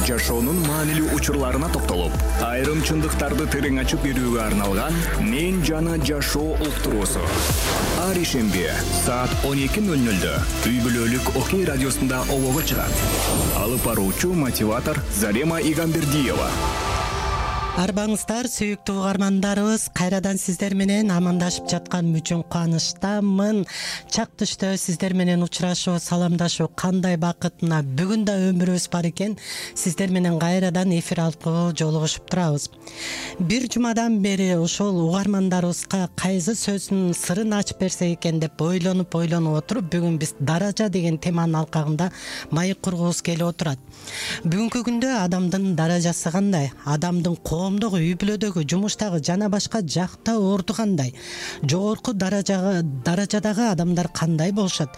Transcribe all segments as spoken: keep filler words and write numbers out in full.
жашоонун маанилүү учурларына токтолуп, айрым чындыктарды терең ачып берүүгө арналган «Мен жана жашоо» уктуруусу. Ар ишемби саат он эки ноль нольдө үй бүлөлүк Окей радиосунда обого чыгат. Алып баруучу мотиватор Зарема Игамбердиева. Арбаңыздар, сүйүктүү угармандарыбыз, кайрадан сиздер менен амандашып жаткан үчүн кубанычтамын. Чак түштө сиздер менен учурашуу, саламдашуу кандай бакытына. Бүгүн да өмүрүбүз бар экен. Сиздер менен кайрадан эфир аркылуу жолугушуп турабыз. Бир жумадан бери ушул угармандарыбызга кайсы сөздүн сырын ачып берсек экен деп ойлонуп ойлонуп отуруп, бүгүн биз даража деген теманын алкагында маек кургубуз келип отурат. Бүгүнкү күндө адамдын даражасы кандай? Адамдын коомдогу, үй бүлөдөгү, жумуштагы жана башка жакта орду кандай? Жогорку даражага даражадагы адамдар кандай болушат?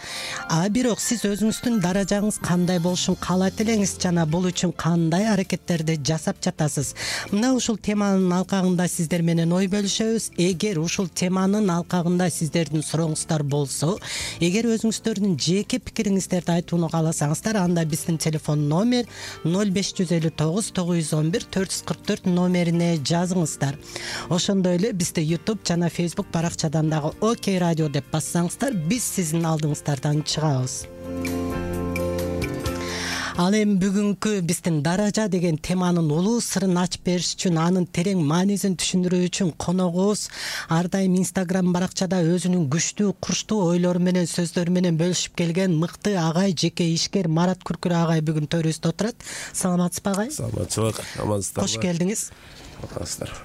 А бирок сиз өзүңүздүн даражаңыз кандай болушун каалайт элеңиз жана бул үчүн кандай аракеттерди жасап жатасыз? Мына ушул теманын алкагында сиздер менен ой бөлүшөбүз. Эгер ушул теманын алкагында сиздердин сурооңуздар болсо, эгер өзүңүздөрдүн жеке пикириңиздерди айтууну кааласаңыздар, анда биздин телефон номер ноль беш жүз элүү тогуз тогуз жүз он бир төрт жүз кырк төрт номерине жазыңыздар. Ошондой эле бизди YouTube жана Facebook баракчадан дагы Окей радио деп бассаңыздар, биз сиздин алдыңыздардан чыгабыз. Ал эми бүгүнкү биздин даража деген теманын улуу сырын ачып бериш үчүн, анын терең маанисин түшүндүрүү үчүн коногубуз ар дайым Instagram баракчада өзүнүн күчтүү, курчтуу ойлору менен, сөздөрү менен бөлүшүп келген мыкты агай, жеке ишкер Марат Күркүр агай бүгүн төрүбүздө отурат. Саламатсызбы агай? Саламатчылык, амансыздарбы? Кош келдиңиз. Амансыздар.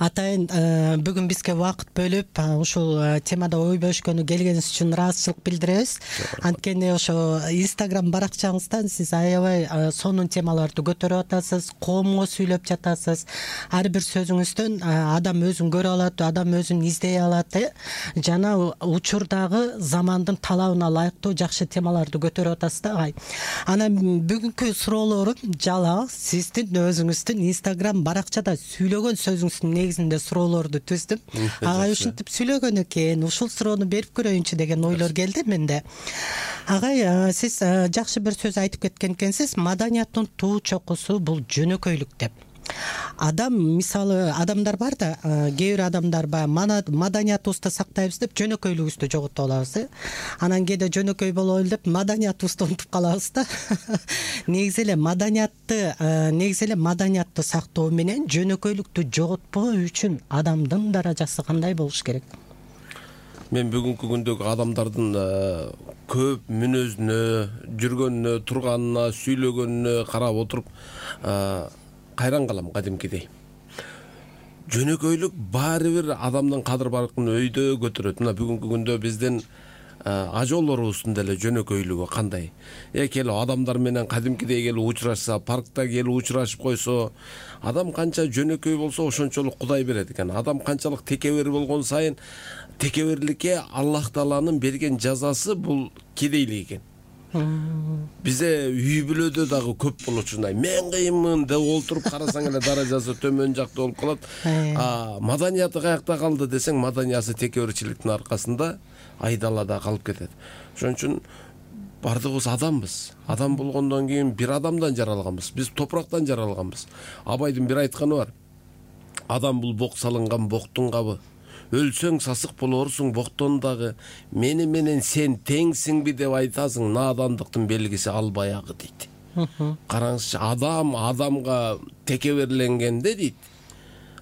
Атайын бүгүн бизге убакыт бөлүп ушул темада ой бөлүшкөнү келгениңиз үчүн ыраазычылык билдиребиз. Анткени ошо Instagram баракчаңыздан сиз аябай сонун темаларды көтөрүп атасыз, коомго сүйлөп жатасыз. Ар бир сөзүңүздөн адам өзүн көрө алат, адам өзүн издей алат, жана учурдагы замандын талабына ылайыктуу жакшы темаларды көтөрүп атасыз да агай. Анан бүгүнкү суроолорум жалал сиздин өзүңүздүн Instagram баракчада сүйлөгөн сөзүңүздүн негизинде суроолорду түздүм. Агай ушинтип сүйлөгөн экен, ушул суроону берип көрөйүнчү деген ойлор келди менде. Агай, сиз жакшы бир сөз айтып кеткен экенсиз, маданияттын туу чокусу бул жөнөкөйлүк деп. Адам, мисалы, адамдар бар да, кээ бир адамдар баягы маданиятыбызды сактайбыз деп жөнөкөйлүгүбүздү жоготуп алабыз, э. Анан кээде жөнөкөй бололу деп маданиятыбызды унутуп калабыз да. Негизи эле маданиятты, негизи эле маданиятты сактоо менен жөнөкөйлүктү жоготпоо үчүн адамдын даражасы кандай болуш керек? Мен бүгүнкү күндөгү адамдардын көп мүнөзүнө, жүргөнүнө, турганына, сүйлөгөнүнө карап отуруп кайран калам кадимкидей. Жөнөкөйлүк баары бир адамдын кадыр баркын өйдө көтөрөт. Мына бүгүнкү күндө биздин ажоолорубуздун деле жөнөкөйлүгү кандай? Э келип адамдар менен кадимкидей келип учурашса, паркта келип учурашып койсо, адам канча жөнөкөй болсо ошончолук Кудай берет экен. Адам канчалык текебер болгон сайын текеберликке Аллах Тааланын берген жазасы бул кедейлик экен. Бизе үй бүлөдө дагы көп болочундай. Мен кыйынмын деп олтуруп карасаң эле даражасы төмөн жакта болуп калат. А маданияты каякта калды десең, маданиясы текеберчиликтин аркасында айдалада калып кетет. Ошон үчүн бардыгыбыз адамбыз. Адам болгондон кийин бир адамдан жаралганбыз. Биз топурактан жаралганбыз. Абайдын бир айтканы бар. Адам бул бок салынган боктун кабы. Өлсөң сасык болорсуң боктон дагы, мени менен сен теңсиңби деп айтасың, надандыктын белгиси ал баягы дейт. Караңызчы, адам адамга текеберленгенде дейт,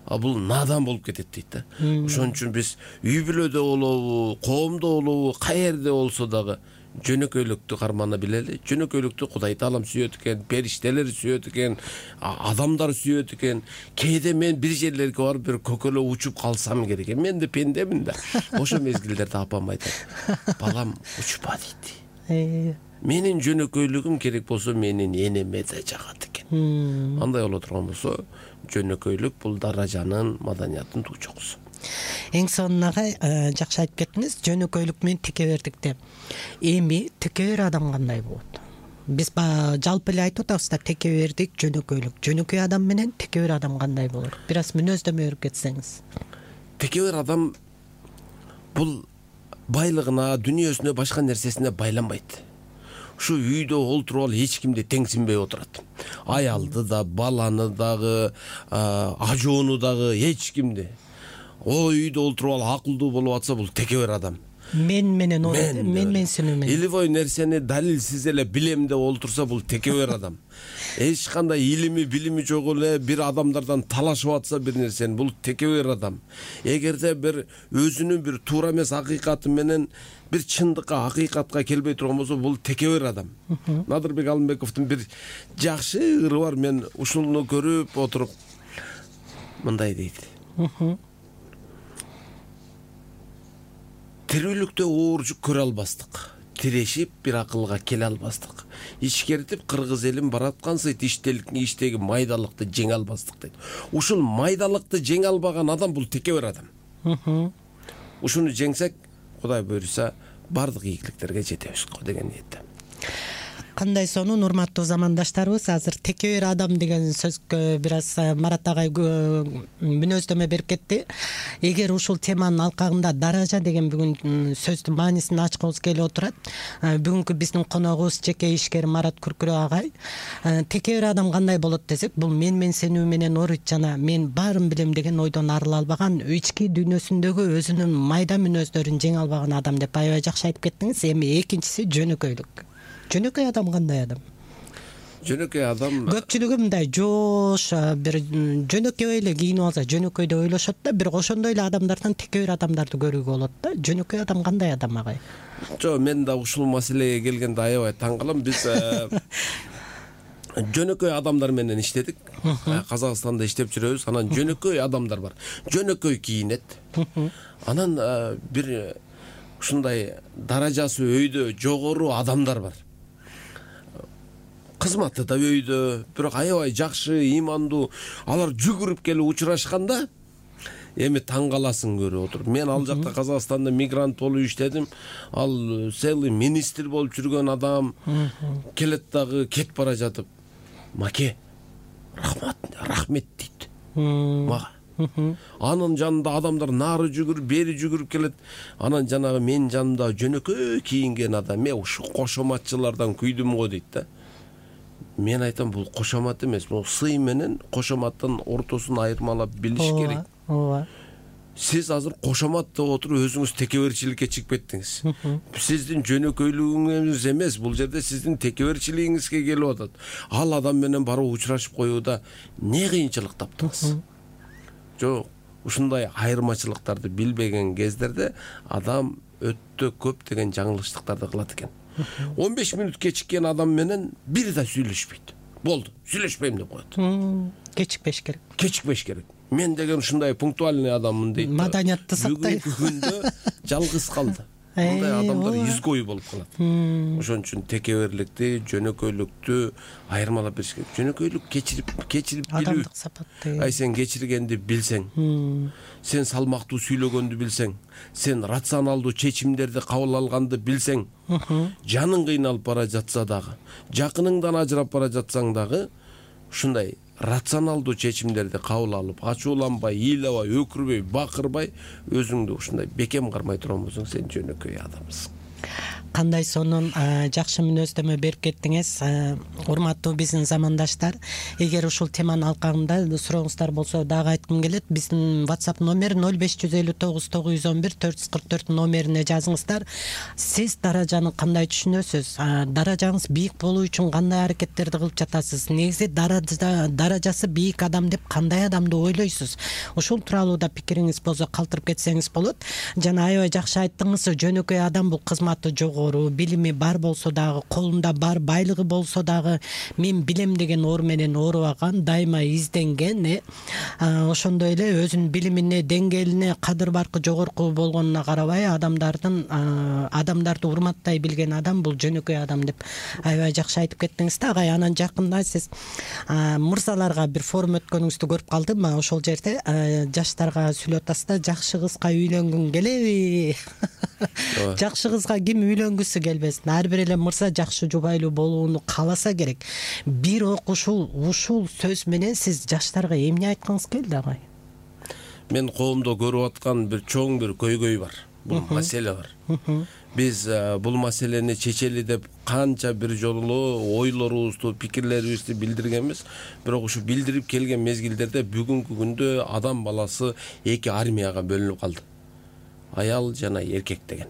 а бул надан болуп кетет дейт да. Ошон үчүн биз үй бүлөдө болобу, коомдо болобу, каерде болсо дагы жөнөкөйлүктү кармана билели. Жөнөкөйлүктү Кудай Таалам сүйөт экен, периштелер сүйөт экен, адамдар сүйөт экен. Кээде мен бир жерлерге барып бир көкөлө учуп калсам керек. Мен де пендемин да. Ошо мезгилдерде апам айтат. Балам, учпа дейт. Менин жөнөкөйлүгүм керек болсо менин энеме да жагат экен. Андай боло турган болсо, жөнөкөйлүк бул даражанын, маданияттын туу чокусу. Эң сонуна жакшы айтып кеттиңиз, жөнөкөйлүк менен текебердикте. Эми текебер адам кандай болот? Биз жалпы эле айтып атабыз да, текебердик, жөнөкөйлүк. Жөнөкөй адам менен текебер адам кандай болот? Бир аз мүнөздөмө берип кетсеңиз. Текебер адам бул байлыгына, дүнүйөсүнө, башка нерсесине байланбайт. ушу үйдө олтуруп алып эч кимди теңсинбей отурат. Аялды да, баланы дагы, ажоону дагы, эч кимди. О үйдө олтуруп алып акылдуу болуп атса, бул текебер адам. Мен менен мен менсинүү менен. Илбой нерсени далилсиз эле билем деп олтурса, бул текебер адам. Эч кандай илими, билими жок эле бир адамдардан талашып атса бир нерсени, бул текебер адам. Эгерде бир өзүнүн бир туура эмес акыйкаты менен бир чындыкка, акыйкатка келбей турган болсо, бул текебер адам. Надырбек Алымбековдун бир жакшы ыры бар, мен ушуну көрүп отуруп мындай дейт. Тирүүлүктө оор жүк көрө албастык. Тирешип бир акылга келе албастык. Ичкертип кыргыз элин бараткансый иштеги майдалыкты жеңе албастык дейт. Ушул майдалыкты жеңе албаган адам бул текебер адам. Ушуну жеңсек, Кудай буйруса, бардык ийгиликтерге жетебиз го деген ниетте. Кандай сонун урматтуу замандаштарыбыз, азыр текебер адам деген сөзгө бир аз Марат агай мүнөздөмө берип кетти. Эгер ушул теманын алкагында даража деген бүгүн сөздүн маанисин ачкыбыз келип отурат. Бүгүнкү биздин коногубуз жеке ишкер Марат Күркүрө агай. Текебер адам кандай болот десек, бул мен менсинүү менен орут жана мен баарын билем деген ойдон арыла албаган, ички дүйнөсүндөгү өзүнүн майда мүнөздөрүн жеңе албаган адам деп аябай жакшы айтып кеттиңиз. Эми экинчиси жөнөкөйлүк. Жөнөкөй адам кандай адам? Жөнөкөй адам көпчүлүгү мындай жоош, бир жөнөкөй эле кийинип алса жөнөкөй деп ойлошот да, бир ошондой эле адамдардан текебер адамдарды көрүүгө болот да. Жөнөкөй адам кандай адам агай? Жок, мен да ушул маселеге келгенде аябай таң калам. Биз жөнөкөй адамдар менен иштедик. Казакстанда иштеп жүрөбүз. Анан жөнөкөй адамдар бар. Жөнөкөй кийинет. Анан бир ушундай даражасы өйдө жогору адамдар бар. Кызматы да өйдө, бирок аябай жакшы, имандуу. Алар жүгүрүп келип учурашканда эми таң каласың көрүп отуруп. Мен ал жакта Казакстанда мигрант болуп иштедим. Ал целый министр болуп жүргөн адам келет дагы кетип бара жатып, маке, рахмат, рахмет дейт мага. Анын жанында адамдар нары жүгүрүп, бери жүгүрүп келет. Анан жанагы мен жанымда жөнөкөй кийинген адам, мен ушу кошоматчылардан күйдүм го дейт да. Мен айтам, бул кошомат эмес, бул сый менен кошоматтын ортосун айырмалап билиш керек. Ооба. Сиз азыр кошомат деп отуруп өзүңүз текеберчиликке чыгып кеттиңиз. Сиздин жөнөкөйлүгүңүз эмес, бул жерде сиздин текеберчилигиңизге келип атат. Ал адам менен барып учурашып коюуда не кыйынчылык таптыңыз? Жок, ушундай айырмачылыктарды билбеген кездерде адам өтө көп деген жаңылыштыктарды кылат экен. он беш мүнөт кечиккен адам менен бир да сүйлөшпөйт. Болду, сүйлөшпөйм деп коет. Кечикпеш керек. Кечикпеш керек. Мен деген ушундай пунктуальный адаммын дейт. Маданиятты сактайт. Бүгүнкү күндө жалгыз калды. Мындай адамдар изгой болуп калат. Ошон үчүн текеберликти, жөнөкөйлүктү айырмалап бериш керек. Жөнөкөйлүк кечирип, кечирип билүү. Адамдык сапат. Ай сен кечиргенди билсең, сен салмактуу сүйлөгөндү билсең, сен рационалдуу чечимдерди кабыл алганды билсең, жаның кыйналып бара жатса дагы, жакыныңдан ажырап бара жатсаң дагы, ушундай рационалдуу чечимдерди кабыл алып, ачууланбай, ыйлабай, өкүрбөй, бакырбай, өзүңдү ушундай бекем кармай турган болсоң, сен жөнөкөй адамсың. Кандай сонун жакшы мүнөздөмө берип кеттиңиз. Урматтуу биздин замандаштар, эгер ушул теманын алкагында сурооңуздар болсо дагы айткым келет. Биздин WhatsApp номер ноль беш жүз элүү тогуз тогуз жүз он бир төрт жүз кырк төрт номерине жазыңыздар. Сиз даражаны кандай түшүнөсүз? Даражаңыз бийик болуу үчүн кандай аракеттерди кылып жатасыз? Негизи даража даражасы бийик адам деп кандай адамды ойлойсуз? Ушул тууралуу да пикириңиз болсо калтырып кетсеңиз болот. Жана аябай жакшы айттыңыз, жөнөкөй адам бул кызматы жогору, билими бар болсо дагы, колунда бар байлыгы болсо дагы, мен билем деген оор менен оорубаган, дайыма изденген, э ошондой эле өзүнүн билимине, деңгээлине, кадыр баркы жогорку болгонуна карабай, адамдардын адамдарды урматтай билген адам бул жөнөкөй адам деп аябай жакшы айтып кеттиңиз да агай. Анан жакында сиз мырзаларга бир форум өткөнүңүздү көрүп калдым. Ошол жерде жаштарга сүйлөп атасыз да, жакшы кызга үйлөнгүң келеби? Жакшы кызга ким үйлөнгүсү келбесин? Ар бир эле мырза жакшы жубайлуу болууну кааласа керек. Бир ушул ушул сөз менен сиз жаштарга эмне айткыңыз келди агай? Мен коомдо көрүп аткан бир чоң бир көйгөй бар. Бул маселе бар. биз бул маселени чечели деп канча бир жолу ойлорубузду, пикирлерибизди билдиргенбиз. Бирок ушу билдирип келген мезгилдерде бүгүнкү күндө адам баласы эки армияга бөлүнүп калды. Аял жана эркек деген.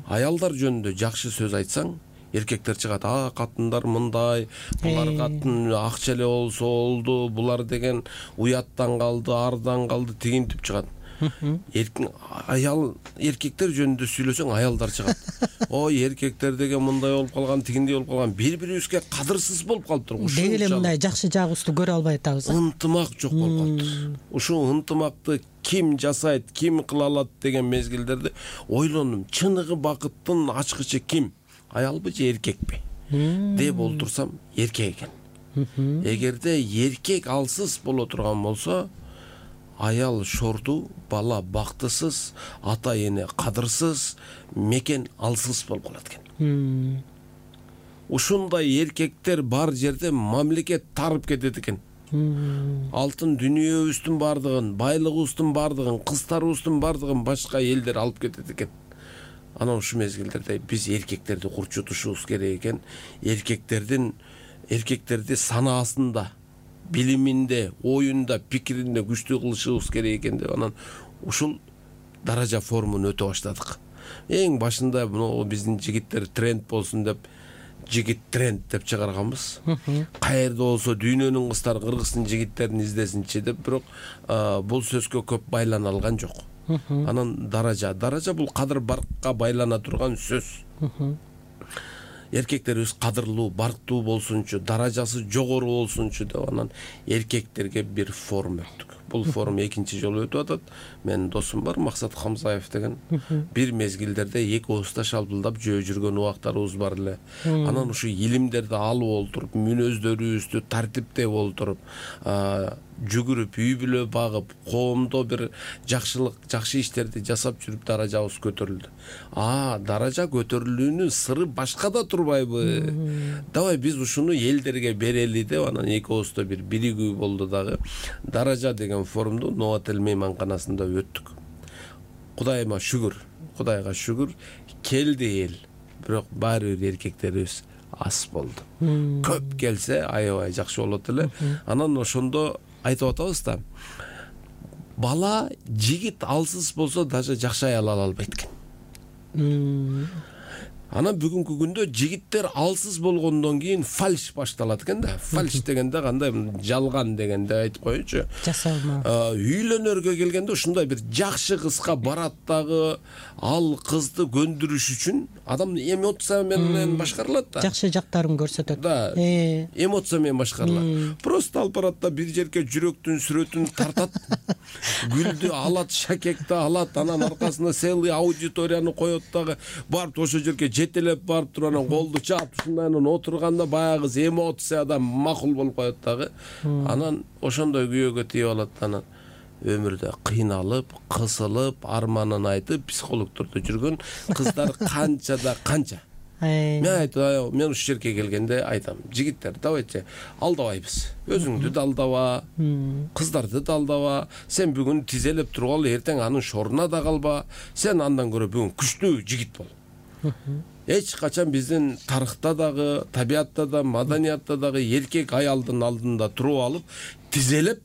Аялдар жөнүндө жакшы сөз айтсаң, эркектер чыгат, а катындар мындай, булар катын акча эле болсо болду, булар деген уяттан калды, ардан калды, тигинтип чыгат. Эркин аял эркектер жөнүндө сүйлөсөң, аялдар чыгат. Ой, эркектер деген мындай болуп калган, тигиндей болуп калган, бири-бирибизге кадырсыз болуп калыптыр. Деги эле мындай жакшы жагыбызды көрө албай атабыз. Ынтымак жок болуп калыптыр. Ушул ынтымакты ким жасайт, ким кыла алат деген мезгилдерде ойлондум. Чыныгы бакыттын ачкычы ким? Аялбы же эркекпи? деп олтурсам, эркек экен. Эгерде эркек алсыз боло турган болсо, аял шорду, бала бактысыз, ата эне кадырсыз, мекен алсыз болуп калат экен. Ушундай эркектер бар жерде мамлекет тарып кетет экен. Алтын дүнүйөбүздүн бардыгын, байлыгыбыздын бардыгын, кыздарыбыздын бардыгын башка элдер алып кетет экен. Анан ушу мезгилдерде биз эркектерди курчутушубуз керек экен. Эркектердин эркектерди санаасында, билиминде, оюнда, пикиринде күчтүү кылышыбыз керек экен деп анан ушул даража форумун өтө баштадык. Эң башында мына биздин жигиттер тренд болсун деп жигит тренд деп чыгарганбыз. Каерде болсо дүйнөнүн кыздары кыргыздын жигиттерин издесинчи деп, бирок бул сөзгө көп байлана алган жок. Анан даража, даража бул кадыр баркка байлана турган сөз. Эркектерибиз кадырлуу, барктуу болсунчу, даражасы жогору болсунчу деп анан эркектерге бир форум өттүк. Бул форум экинчи жолу өтүп атат. Менин досум бар, Максат Хамзаев деген. Бир мезгилдерде эки ооста шалпылдап жөө жүргөн убактарыбыз бар эле. Анан ушу илимдерди алып олтуруп, мүнөздөрүбүздү тартиптеп олтуруп, жүгүрүп, үй бүлө багып, коомдо бир жакшылык, жакшы иштерди жасап жүрүп даражабыз көтөрүлдү. А, даража көтөрүлүүнүн сыры башкада турбайбы? Давай биз ушуну элдерге берели деп анан эки ооста бир биригүү болду дагы. Даража деген форумду Новотел мейманканасында өттүк. Кудайыма шүгүр, Кудайга шүгүр, келди эл. Бирок баары бир эркектерибиз аз болду. Көп келсе аябай жакшы болот эле. Анан ошондо айтып атабыз да. Бала, жигит алсыз болсо даже жакшы аял ала албайт экен. Анан бүгүнкү күндө жигиттер алсыз болгондон кийин фальш башталат экен да. Фальш дегенде кандай, жалган дегенде айтып коеюнчу. Жасалма. Үйлөнөргө келгенде ушундай бир жакшы кызга барат дагы, ал кызды көндүрүш үчүн адам эмоция менен башкарылат да. Жакшы жактарын көрсөтөт. Да. Эмоция менен башкарылат. Просто ал барат да бир жерге жүрөктүн сүрөтүн тартат. Гүлдү алат, шакекти алат, анан аркасына целый аудиторияны коет дагы. Барып ошо жерге жетелеп барып туруп анан колду чаап ушундай анан отурганда баягы эмоциядан макул болуп коет дагы. Анан ошондой күйөөгө тийип алат. Анан өмүрдө кыйналып, кысылып, арманын айтып психологдордо жүргөн кыздар канча да канча. Мен айтам, мен ушул жерге келгенде айтам, жигиттер, давайте алдабайбыз. Өзүңдү да алдаба, кыздарды да алдаба. Сен бүгүн тизелеп туруп ал, эртең анын шоруна да калба. Сен андан көрө бүгүн күчтүү жигит бол. Эч качан биздин тарыхта дагы, табиатта да, маданиятта дагы эркек аялдын алдында туруп алып, тизелеп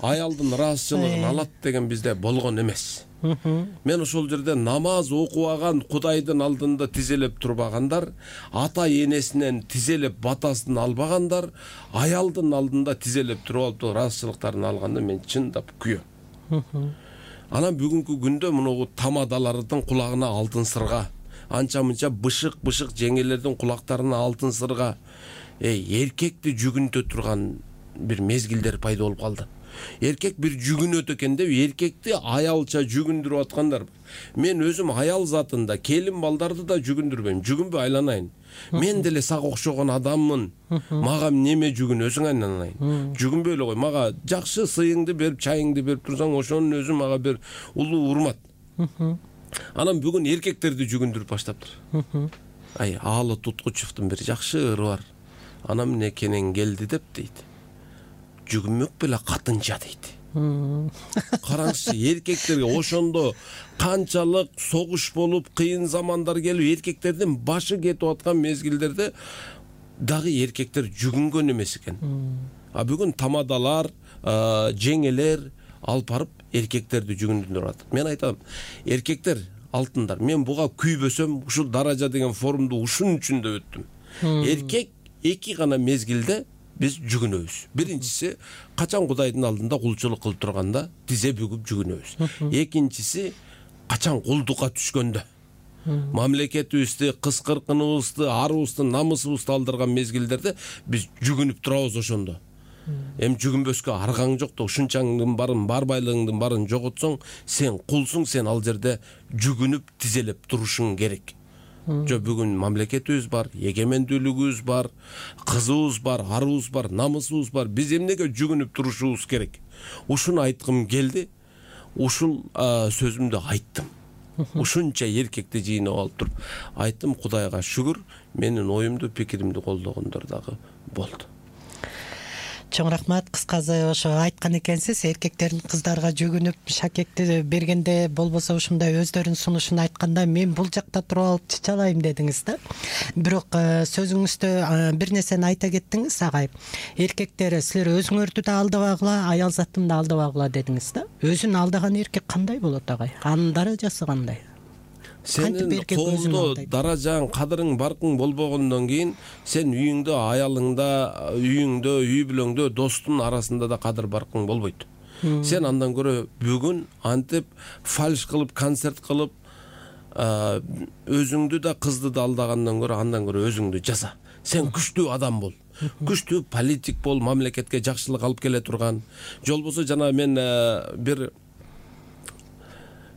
аялдын ыраазычылыгын алат деген бизде болгон эмес. Мен ошол жерде намаз окубаган Кудайдын алдында тизелеп турбагандар, ата энесинен тизелеп батасын албагандар, аялдын алдында тизелеп туруп алып ыраазычылыктарын алганда мен чындап күйөм. Анан бүгүнкү күндө мунугу тамадалардын кулагына алтын сырга, анча-мынча бышык-бышык жеңелердин кулактарына алтын сырга, эй, эркекти жүгүнтө турган бир мезгилдер пайда болуп калды. Эркек бир жүгүнөт экен деп эркекти аялча жүгүндүрүп аткандар. Мен өзүм аял затында келин балдарды да жүгүндүрбөйм, жүгүнбөй айланайын. Мен деле сага окшогон адаммын. Мага неме жүгүнөсүң айланайын. Жүгүнбөй эле кой, мага жакшы сыйыңды берип, чайыңды берип турсаң, ошонун өзү мага бир улуу урмат. Анан бүгүн эркектерди жүгүндүрүп баштаптыр. Ай, Аалы Туткучевдун бир жакшы ыры бар. Анам эмне кенен келди деп дейт. Жүгүнмөк беле катынча дейт. Караңызчы, эркектерге ошондо канчалык согуш болуп, кыйын замандар келип, эркектердин башы кетип аткан мезгилдерде дагы эркектер жүгүнгөн эмес экен. А бүгүн тамадалар, жеңелер алып барып эркектерди жүгүндүрүп атат. Мен айтам, эркектер алтындар, мен буга күйбөсөм, ушул даража деген форумду ушун үчүн да өттүм. Эркек эки гана мезгилде биз жүгүнөбүз. Биринчиси, качан Кудайдын алдында кулчулук кылып турганда тизе бүгүп жүгүнөбүз. Экинчиси, качан кулдукка түшкөндө. Мамлекетибизди, кыз-кыркыныбызды, арыбызды, намысыбызды алдырган мезгилдерде биз жүгүнүп турабыз ошондо. Эми жүгүнбөскө аргаң жок да, ушунчаңдын барын, бар байлыгыңдын барын жоготсоң, сен кулсуң, сен ал жерде жүгүнүп тизелеп турушуң керек. Жо бүгүн мамлекетибиз бар, эгемендүүлүгүбүз бар, кызыбыз бар, арыбыз бар, намысыбыз бар. Биз эмнеге жүгүнүп турушубуз керек? Ушуну айткым келди. Ушул сөзүмдү айттым. Ушунча эркекти жыйнап алып туруп айттым. Кудайга шүгүр, менин оюмду, пикиримди колдогондор дагы болду. Чоң рахмат. Кыскасы ошо айткан экенсиз, эркектердин кыздарга жүгүнүп шакекти бергенде, болбосо ушундай өздөрүнүн сунушун айтканда мен бул жакта туруп алып чычалайм дедиңиз да. Бирок сөзүңүздө бир нерсени айта кеттиңиз, агай. Эркектер, силер өзүңөрдү да алдабагыла, аял затын да алдабагыла дедиңиз да. Өзүн алдаган эркек кандай болот, агай? Анын даражасы кандай? Сенин колдо даражаң, кадырың, баркың болбогондон кийин сен үйүңдө, аялыңда, үйүңдө, үй бүлөңдө, достун арасында да кадыр баркың болбойт. Сен андан көрө бүгүн антип фальш кылып, концерт кылып, өзүңдү да, кызды да алдагандан көрө андан көрө өзүңдү жаса. Сен күчтүү адам бол. Күчтүү политик бол, мамлекетке жакшылык алып келе турган. Жолбосо жана мен бир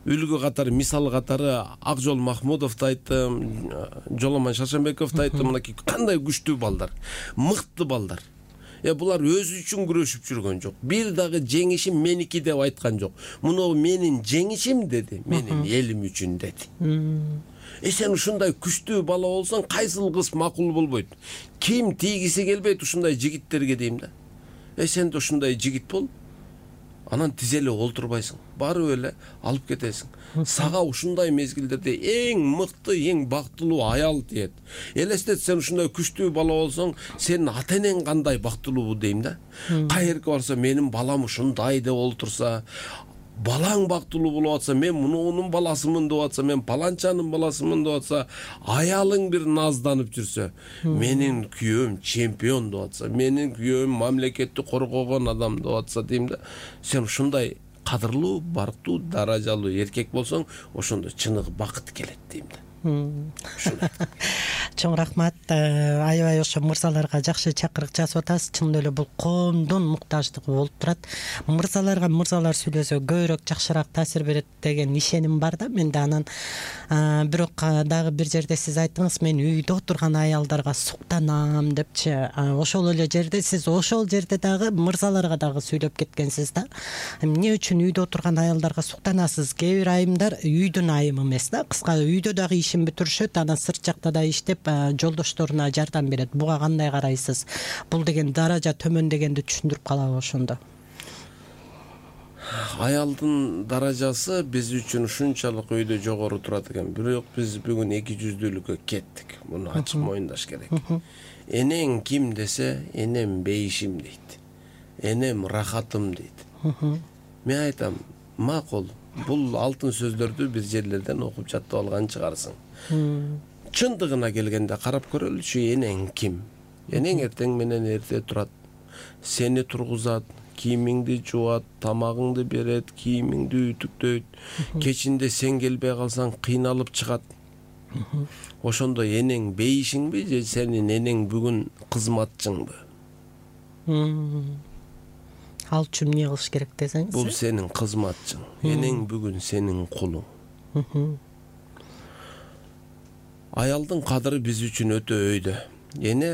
үлгү катары, мисал катары Акжол Махмудовду айттым, Жоломон Шаршембековду айттым. Мынакей кандай күчтүү балдар, мыкты балдар. Э булар өзү үчүн күрөшүп жүргөн жок. Бир дагы жеңишим меники деп айткан жок. Муну менин жеңишим деди, менин элим үчүн деди. Э сен ушундай күчтүү бала болсоң, кайсыл кыз макул болбойт? Ким тийгиси келбейт ушундай жигиттерге дейм да. Э сен да ушундай жигит бол. Анан тизелеп олтурбайсың, барып эле алып кетесиң. Сага ушундай мезгилдерде эң мыкты, эң бактылуу аял тиет. Элестет, сен ушундай күчтүү бала болсоң, сенин ата-энең кандай бактылуу дейм да. Кайерге барса, менин балам ушундай деп олтурса, балаң бактылуу болуп атса, мен мунунун баласымын деп атса, мен паланчанын баласымын деп атса, аялың бир назданып жүрсө, менин күйөөм чемпион деп атса, менин күйөөм мамлекетти коргогон адам деп атса дейм да. Сен ушундай кадырлуу, барктуу, даражалуу эркек болсоң, ошондо чыныгы бакыт келет дейм да. Чоң рахмат. Аябай ошо мырзаларга жакшы чакырык жасап атасыз. Чын эле бул коомдун муктаждыгы болуп турат. Мырзаларга мырзалар сүйлөсө көбүрөөк жакшыраак таасир берет деген ишеним бар да менде. Анан бирок дагы бир жерде сиз айттыңыз, мен үйдө отурган аялдарга суктанам депчи. Ошол эле жерде сиз ошол жерде дагы мырзаларга дагы сүйлөп кеткенсиз да. Эмне үчүн үйдө отурган аялдарга суктанасыз? Кээ бир айымдар үйдүн айымы эмес да. Кыска үйдө дагы ишин бүтүрүшөт, анан сырт жакта да иштеп жолдошторуна жардам берет. Буга кандай карайсыз? Бул деген даража төмөн дегенди түшүндүрүп калабы ошондо? Аялдын даражасы биз үчүн ушунчалык өйдө жогору турат экен. Бирок биз бүгүн эки жүздүүлүккө кеттик. Муну ачык моюндаш керек. Энең ким десе, энем бейишим дейт. Энем рахатым дейт. Мен айтам, макул. Бул алтын сөздөрдү бир жерлерден окуп жаттап алган чыгарсың. Чындыгына келгенде карап көрөлүчү, энең ким? Энең эртең менен эрте турат, сени тургузат, кийимиңди жуат, тамагыңды берет, кийимиңди ütүктөйт. Кечинде сен келбей калсаң кыйналып чыгат. Ошондо энең бейишиңби же сенин энең бүгүн кызматчыңбы? Ал үчүн эмне кылыш керек десеңиз? Бул сенин кызматчың. Энең бүгүн сенин кулуң. Аялдын кадыры биз үчүн өтө өйдө. Эне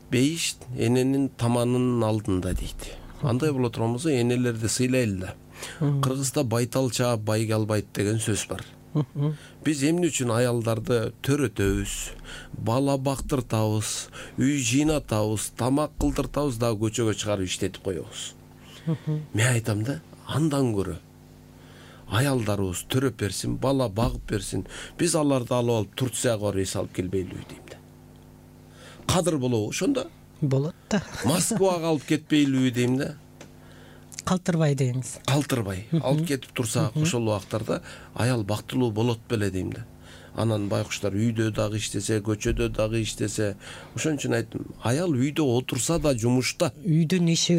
бейиш эненин таманынын алдында дейт. Андай боло турган болсо энелерди сыйлайлы да. Кыргызда байтал чаап байге албайт деген сөз бар. Биз эмне үчүн аялдарды төрөтөбүз, бала бактыртабыз, үй жыйнатабыз, тамак кылдыртабыз да көчөгө чыгарып иштетип коебуз. мен айтам да, андан көрө аялдарыбыз төрөп берсин, бала багып берсин, биз аларды алып алып Турцияга рейс алып келбейлиби дейм да. Кадыр болобу ошондо? Болот да. Москвага алып кетпейлиби дейм да. Калтырбай деңиз. Калтырбай алып кетип турса, ошол убактарда аял бактылуу болот беле дейм да. Анан байкуштар үйдө дагы иштесе, көчөдө дагы иштесе, ошон үчүн айттым, аял үйдө отурса да жумушта. Үйдүн иши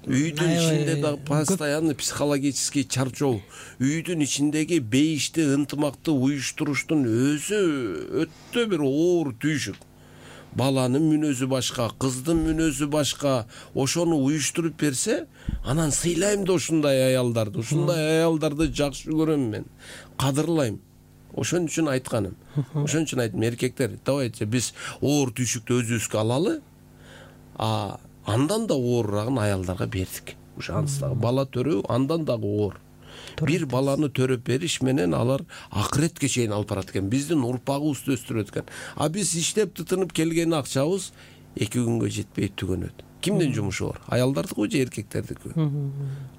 Үйдүн ичинде дагы постоянно психологический чарчоо, үйдүн ичиндеги бейишти, ынтымакты уюштуруштун өзү өтө бир оор түйшүк. Баланын мүнөзү башка, кыздын мүнөзү башка. Ошону уюштуруп берсе, анан сыйлайм да ушундай аялдарды. Ушундай аялдарды жакшы көрөм мен. Кадырлайм. Ошон үчүн айтканым. Ошон үчүн айттым, эркектер, давайте биз оор түйшүктү өзүбүзгө алалы. А андан да оорурагын аялдарга бердик. Ушанысы дагы бала төрөө андан дагы оор. Бир баланы төрөп бериш менен алар акыретке чейин алып барат экен. Биздин урпагыбызды өстүрөт экен. А биз иштеп тытынып келген акчабыз эки күнгө жетпей түгөнөт. Кимдин жумушу оор? Аялдардыкы же эркектердики?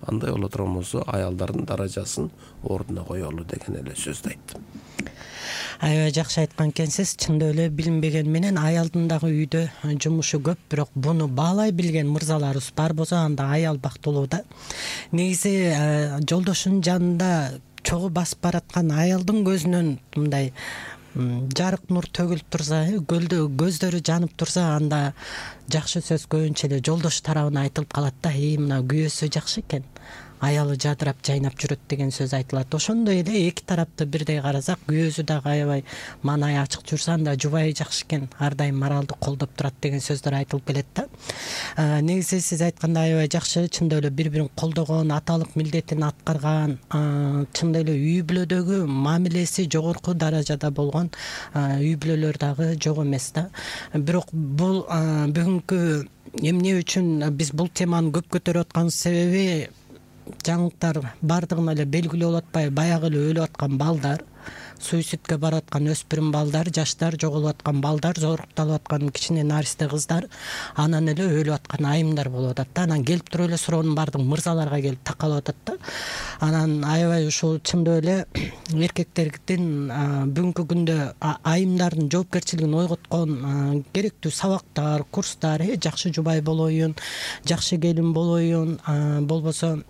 Андай боло турган болсо, аялдардын даражасын ордуна коелу деген эле сөздү айттым. Аябай жакшы айткан экенсиз. Чындап эле билинбеген менен аялдын дагы үйдө жумушу көп, бирок буну баалай билген мырзаларыбыз бар болсо, анда аял бактылуу да. Негизи жолдошунун жанында чогуу басып бараткан аялдын көзүнөн мындай жарык нур төгүлүп турса, көздөрү жанып турса, анда жакшы сөз көбүнчө эле жолдош тарабына айтылып калат да. И мына күйөөсү жакшы экен, аялы жадырап жайнап жүрөт деген сөз айтылат. Ошондой эле эки тарапты бирдей карасак, күйөөсү дагы аябай маанай ачык жүрсө, анда жубайы жакшы экен, ар дайым моралдык колдоп турат деген сөздөр айтылып келет да. Негизи сиз айткандай аябай жакшы, чындап эле бири-бирин колдогон, аталык милдетин аткарган, чындап эле үй бүлөдөгү мамилеси жогорку даражада болгон үй бүлөлөр дагы жок эмес да. Бирок бул бүгүнкү эмне үчүн биз бул теманы көп көтөрүп атканыбыз себеби, жаңылыктар бардыгына эле белгилүү болуп атпайбы? Баягы эле өлүп аткан балдар, суицидке барып аткан өспүрүм балдар, жаштар, жоголуп аткан балдар, зорукталып аткан кичине наристе кыздар, анан эле өлүп аткан айымдар болуп атат да. Анан келип туруп эле суроонун бардыгы мырзаларга келип такалып атат да. Анан аябай ушул чындап эле эркектердин бүгүнкү күндө айымдардын жоопкерчилигин ойготкон керектүү сабактар, курстар, жакшы жубай болоюн, жакшы келин болоюн, болбосо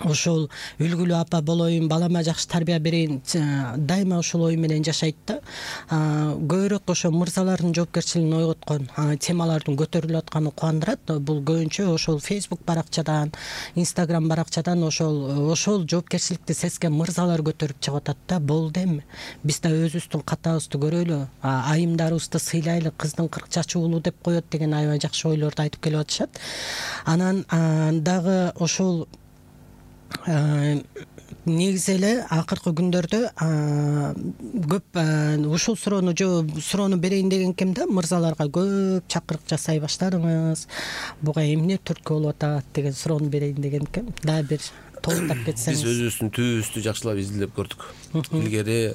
ошол үлгүлүү апа болоюн, балама жакшы тарбия берейин, дайыма ушул ой менен жашайт да. Көбүрөөк ошо мырзалардын жоопкерчилигин ойготкон темалардын көтөрүлүп атканы кубандырат. Бул көбүнчө ошол Facebook баракчадан, Instagram баракчадан ошол ошол жоопкерчиликти сезген мырзалар көтөрүп чыгып атат да. Болду эми. Биз да өзүбүздүн катабызды көрөлү, айымдарыбызды сыйлайлы, кыздын кырк чачы уулу деп коет деген аябай жакшы ойлорду айтып келип атышат. Анан дагы ошол негизи эле акыркы күндөрдө көп ушул суроону суроону берейин деген экем да. Мырзаларга көп чакырык жасай баштадыңыз, буга эмне түрткү болуп атат деген суроону берейин деген экем. Дагы бир толуктап кетсеңиз. Биз өзүбүздүн түбүбүздү жакшылап изилдеп көрдүк. Илгери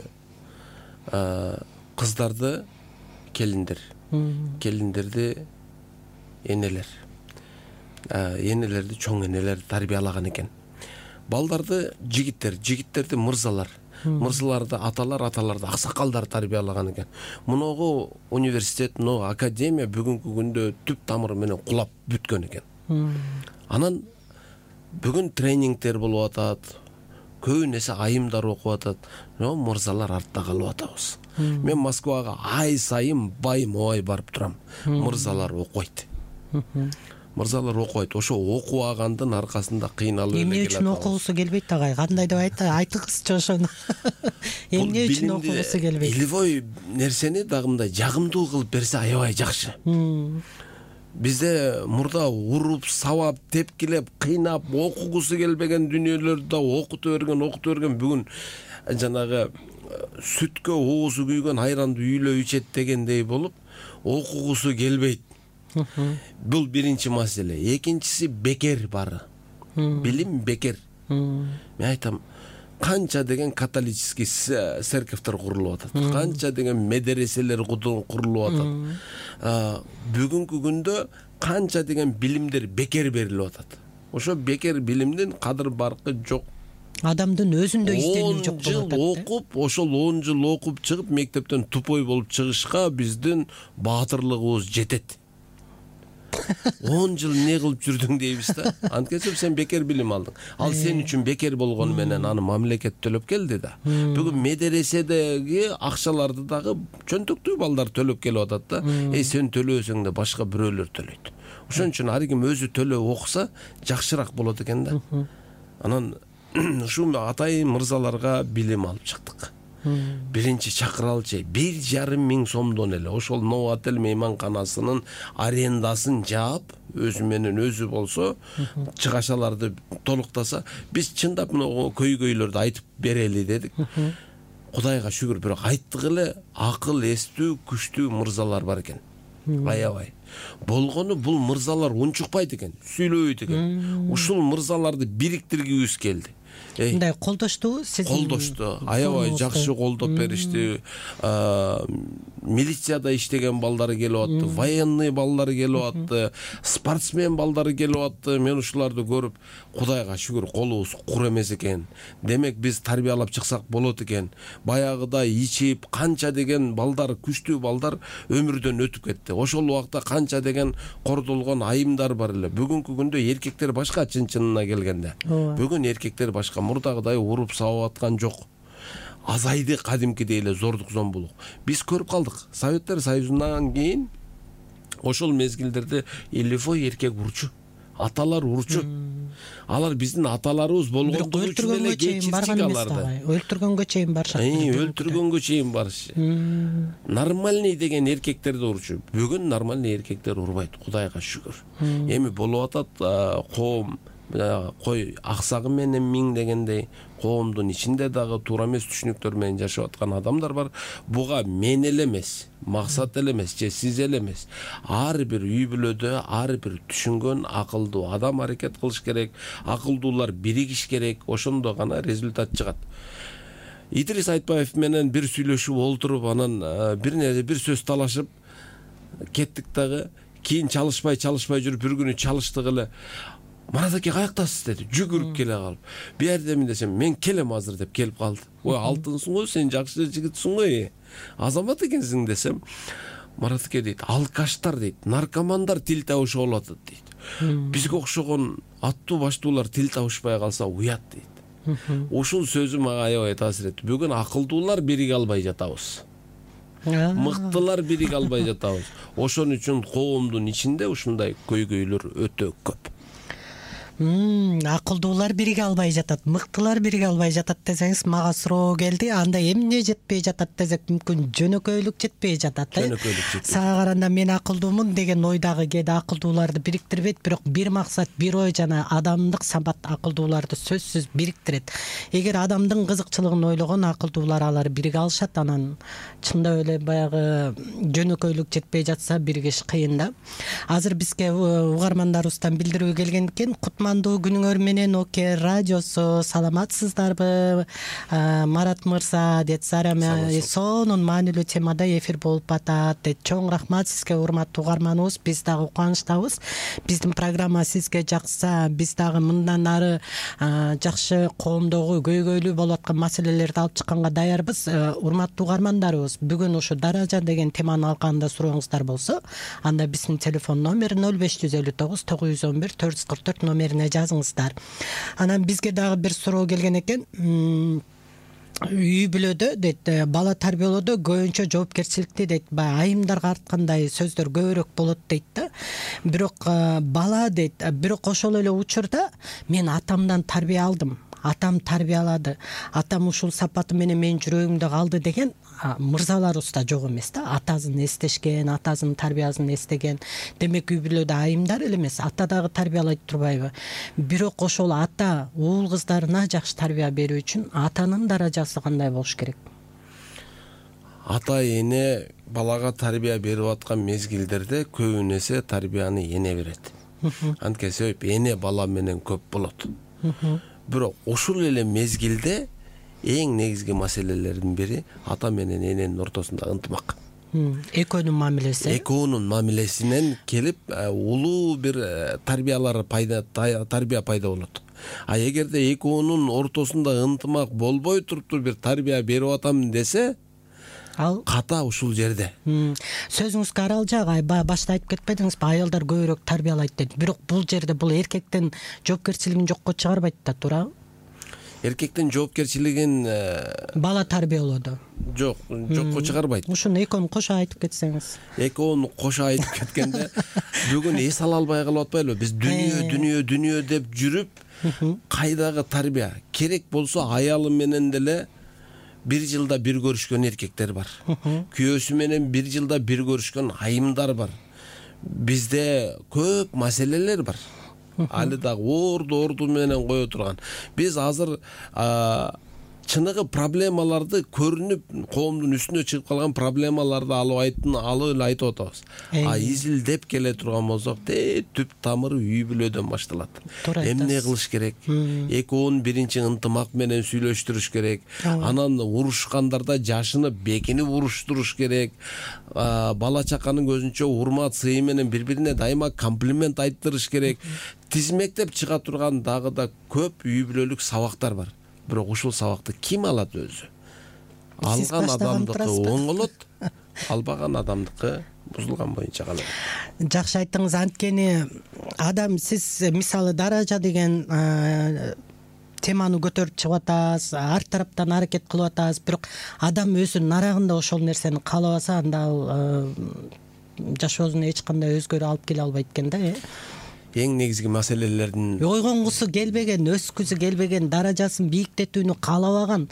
кыздарды келиндер, келиндерди энелер, энелерди чоң энелер тарбиялаган экен. Балдарды жигиттер, жигиттерди мырзалар, мырзаларды аталар, аталарды аксакалдар тарбиялаган экен. Муногу университет, муногу академия бүгүнкү күндө түп тамыры менен кулап бүткөн экен. Анан бүгүн тренингтер болуп атат, көбүн эсе айымдар окуп атат, но мырзалар артта калып атабыз. Мен Москвага ай сайын байым ой барып турам. Мырзалар окуйт. Мырзалар окуйт. Ошо окубагандын аркасында кыйналып эле келет. Эмне үчүн окугусу келбейт агай? Кандай деп айта, айтыңызчы ошону. Эмне үчүн окугусу келбейт? Илбой нерсени дагы мындай жагымдуу кылып берсе аябай жакшы. Бизде мурда уруп, сабап, тепкилеп, кыйнап, окугусу келбеген дүнүйөлөрдү да окута берген, окута берген. Бүгүн жанагы сүткө оозу күйгөн айранды үйлөп ичет дегендей болуп, окугусу келбейт. Бул биринчи маселе. Экинчиси бекер бары. Билим бекер. Мен айтам, канча деген католический церковьтер курулуп атат, канча деген медреселер курулуп атат. Бүгүнкү күндө канча деген билимдер бекер берилип атат. ошо бекер билимдин кадыр баркы жок. Адамдын өзүндө изденүү жок болуп атат. он жыл окуп, ошол он жыл окуп чыгып мектептен тупой болуп чыгышка биздин баатырлыгыбыз жетет. он жыл не кылып жүрдүң дейбиз да. Анткени сен бекер билим алдың. Ал сен үчүн бекер болгону менен аны мамлекет төлөп келди да. Бүгүн медреседеги акчаларды дагы чөнтөктүү балдар төлөп келип атат да. Эй, сен төлөсөң да башка бирөөлөр төлөйт. Ошон үчүн ар ким өзү төлөп окуса жакшыраак болот экен да. Анан ушул атайын мырзаларга билим алып чыктык. Биринчи чакыралчы бир жарым миң сомдон эле ошол Новотел мейманканасынын арендасын жаап, өзү менен өзү болсо, чыгашаларды толуктаса, биз чындап мына көйгөйлөрдү айтып берели дедик. Кудайга шүгүр, бирок айттык эле, акыл эстүү, күчтүү мырзалар бар экен. Аябай. Болгону бул мырзалар унчукпайт экен, сүйлөбөйт экен. Ушул мырзаларды бириктиргибиз келди. Мындай колдошту, сиз колдошту, аябай жакшы колдоп беришти. Милицияда иштеген балдары келип атты, военный балдары келип атты, спортсмен балдары келип атты. Мен ушуларды көрүп, Кудайга шүгүр, колубуз кур эмес экен. Демек биз тарбиялап чыксак болот экен. Баягыдай ичип, канча деген балдар, күчтүү балдар өмүрдөн өтүп кетти. Ошол убакта канча деген кордолгон айымдар бар эле. Бүгүнкү күндө эркектер башка, чын-чынына келгенде. Бүгүн эркектер башка, мурдагыдай уруп сабап аткан жок. Азайды кадимкидей эле зордук зомбулук. Биз көрүп калдык. Советтер Союзунан кийин ошол мезгилдерде элифой эркек урчу, аталар урчу. Алар биздин аталарыбыз болгондугу үчүн эле кечирчик аларды. Өлтүргөнгө чейин барышат. Өлтүргөнгө чейин барышы. Нормальный деген эркектерди урчу. Бүгүн нормальный эркектер урбайт, Кудайга шүгүр. Эми болуп атат коом, кой аксагы менен миң дегендей коомдун ичинде дагы туура эмес түшүнүктөр менен жашап аткан адамдар бар. Буга мен эле эмес, максат эле эмес, же сиз эле эмес. Ар бир үй бүлөдө ар бир түшүнгөн акылдуу адам аракет кылыш керек, акылдуулар биригиш керек. Ошондо гана результат чыгат. Идрис Айтбаев менен бир сүйлөшүп олтуруп, анан бир нерсе бир сөз талашып кеттик дагы. Кийин чалышпай чалышпай жүрүп бир күнү чалыштык эле. Марат аке каяктасыз деди, жүгүрүп келе калып. Бердемин десем, мен келем азыр деп келип калды. Ой, алтынсың го, сен жакшы жигитсиң го, азамат экенсиң десем, Марат аке дейт, алкаштар дейт, наркомандар тил табышып алып атат дейт. Бизге окшогон аттуу баштуулар тил табышпай калса уят дейт. Ушул сөзү мага аябай таасир этти. Бүгүн акылдуулар бириге албай жатабыз. Мыктылар бириге албай жатабыз. Ошон үчүн коомдун ичинде ушундай көйгөйлөр өтө көп. Акылдуулар бириге албай жатат, мыктылар бириге албай жатат десеңиз, мага суроо келди. Анда эмне жетпей жатат десек, мүмкүн жөнөкөйлүк жетпей жатат. Жөнөкөйлүк жетпей. Сага караганда мен акылдуумун деген ойдагы кээде акылдууларды бириктирбейт, бирок бир максат, бир ой жана адамдык сабат акылдууларды сөзсүз бириктирет. Эгер адамдын кызыкчылыгын ойлогон акылдуулар алар бириге алышат, анан чындап эле баягы жөнөкөйлүк жетпей жатса биригиш кыйын да. Азыр бизге угармандарыбыздан билдирүү келген экен. Кутмандуу күнүңөр менен Оке радиосу, саламатсыздарбы? Марат мырза, дейт, Зарема сонун маанилүү темада эфир болуп атат, дейт. Чоң рахмат сизге, урматтуу угарманыбыз. Биз дагы кубанычтабыз. Биздин программа сизге жакса, биз дагы мындан ары жакшы коомдогу көйгөйлүү болуп аткан маселелерди алып чыкканга даярбыз. Урматтуу угармандарыбыз, бүгүн ушу даража деген теманы алганда сурооңуздар болсо, анда биздин телефон номер ноль беш жүз элүү тогуз тогуз жүз он бир төрт жүз кырк төрт номерине жазыңыздар. Анан бизге дагы бир суроо келген экен. Үй бүлөдө, дейт, бала тарбиялоодо көбүнчө жоопкерчиликти, дейт, баягы айымдарга арткандай сөздөр көбүрөөк болот, дейт да. Бирок бала, дейт, бирок ошол эле учурда мен атамдан тарбия алдым. Атам тарбиялады. Атам ушул сапаты менен менин жүрөгүмдө калды деген мырзаларыбыз да жок эмес да. Атасын эстешкен, атасынын тарбиясын эстеген. Демек үй бүлөдө айымдар эле эмес, ата дагы тарбиялайт турбайбы? Бирок ошол ата уул кыздарына жакшы тарбия берүү үчүн атанын даражасы кандай болуш керек? Ата эне балага тарбия берип аткан мезгилдерде көбүн эсе тарбияны эне берет. Анткени себеп эне бала менен көп болот. Бирок ушул эле мезгилде эң негизги маселелердин бири ата менен эненин ортосунда ынтымак. экөөнүн мамилеси экөөнүн мамилесинен келип улуу бир тарбиялар пайда тарбия пайда болот. А эгерде экөөнүн ортосунда ынтымак болбой туруптур бир тарбия берип атам десе, ал ката ушул жерде. Сөзүңүзгө арал жагай башта айтып кетпедиңизби, аялдар көбүрөөк тарбиялайт деп. Бирок бул жерде бул эркектин жоопкерчилигин жокко чыгарбайт да, туурабы? Эркектин жоопкерчилигин бала тарбиялоодо жок, жокко чыгарбайт. Ушуну экөөнү кошо айтып кетсеңиз. Экөөнү кошо айтып кеткенде бүгүн эс ала албай калып атпайлыбы? Биз дүнүйө, дүнүйө, дүнүйө деп жүрүп, кайдагы тарбия? Керек болсо аялы менен деле бир жылда бир көрүшкөн эркектер бар. Күйөөсү менен бир жылда бир көрүшкөн айымдар бар. Бизде көп маселелер бар. Али дагы орду орду менен кое турган. Биз азыр чыныгы проблемаларды көрүнүп, коомдун үстүнө чыгып калган проблемаларды алып айтын, алып эле айтып атабыз. А изилдеп келе турган болсок, түп тамыры үй бүлөдөн башталат. Эмне кылыш керек? Экөөнүн биринчи ынтымак менен сүйлөштүрүш керек. Анан урушкандарда жашынып, бекинип уруштуруш керек. Бала чаканын көзүнчө урмат, сый менен бири-бирине дайыма комплимент айттырыш керек. Тизмектеп чыга турган дагы да көп үй бүлөлүк сабактар бар. Бирок ушул сабакты ким алат өзү? Алган адамдыкы оңолот, албаган адамдыкы бузулган боюнча калат. Жакшы айттыңыз. Анткени адам, сиз мисалы даража деген теманы көтөрүп чыгып атасыз, ар тараптан аракет кылып атасыз, бирок адам өзүнүн арагында ошол нерсени каалабаса, анда ал жашоосуна эч кандай өзгөрүү алып келе албайт экен да. Эң негизги маселелердин ойгонгусу келбеген, өскүсү келбеген, даражасын бийиктетүүнү каалабаган,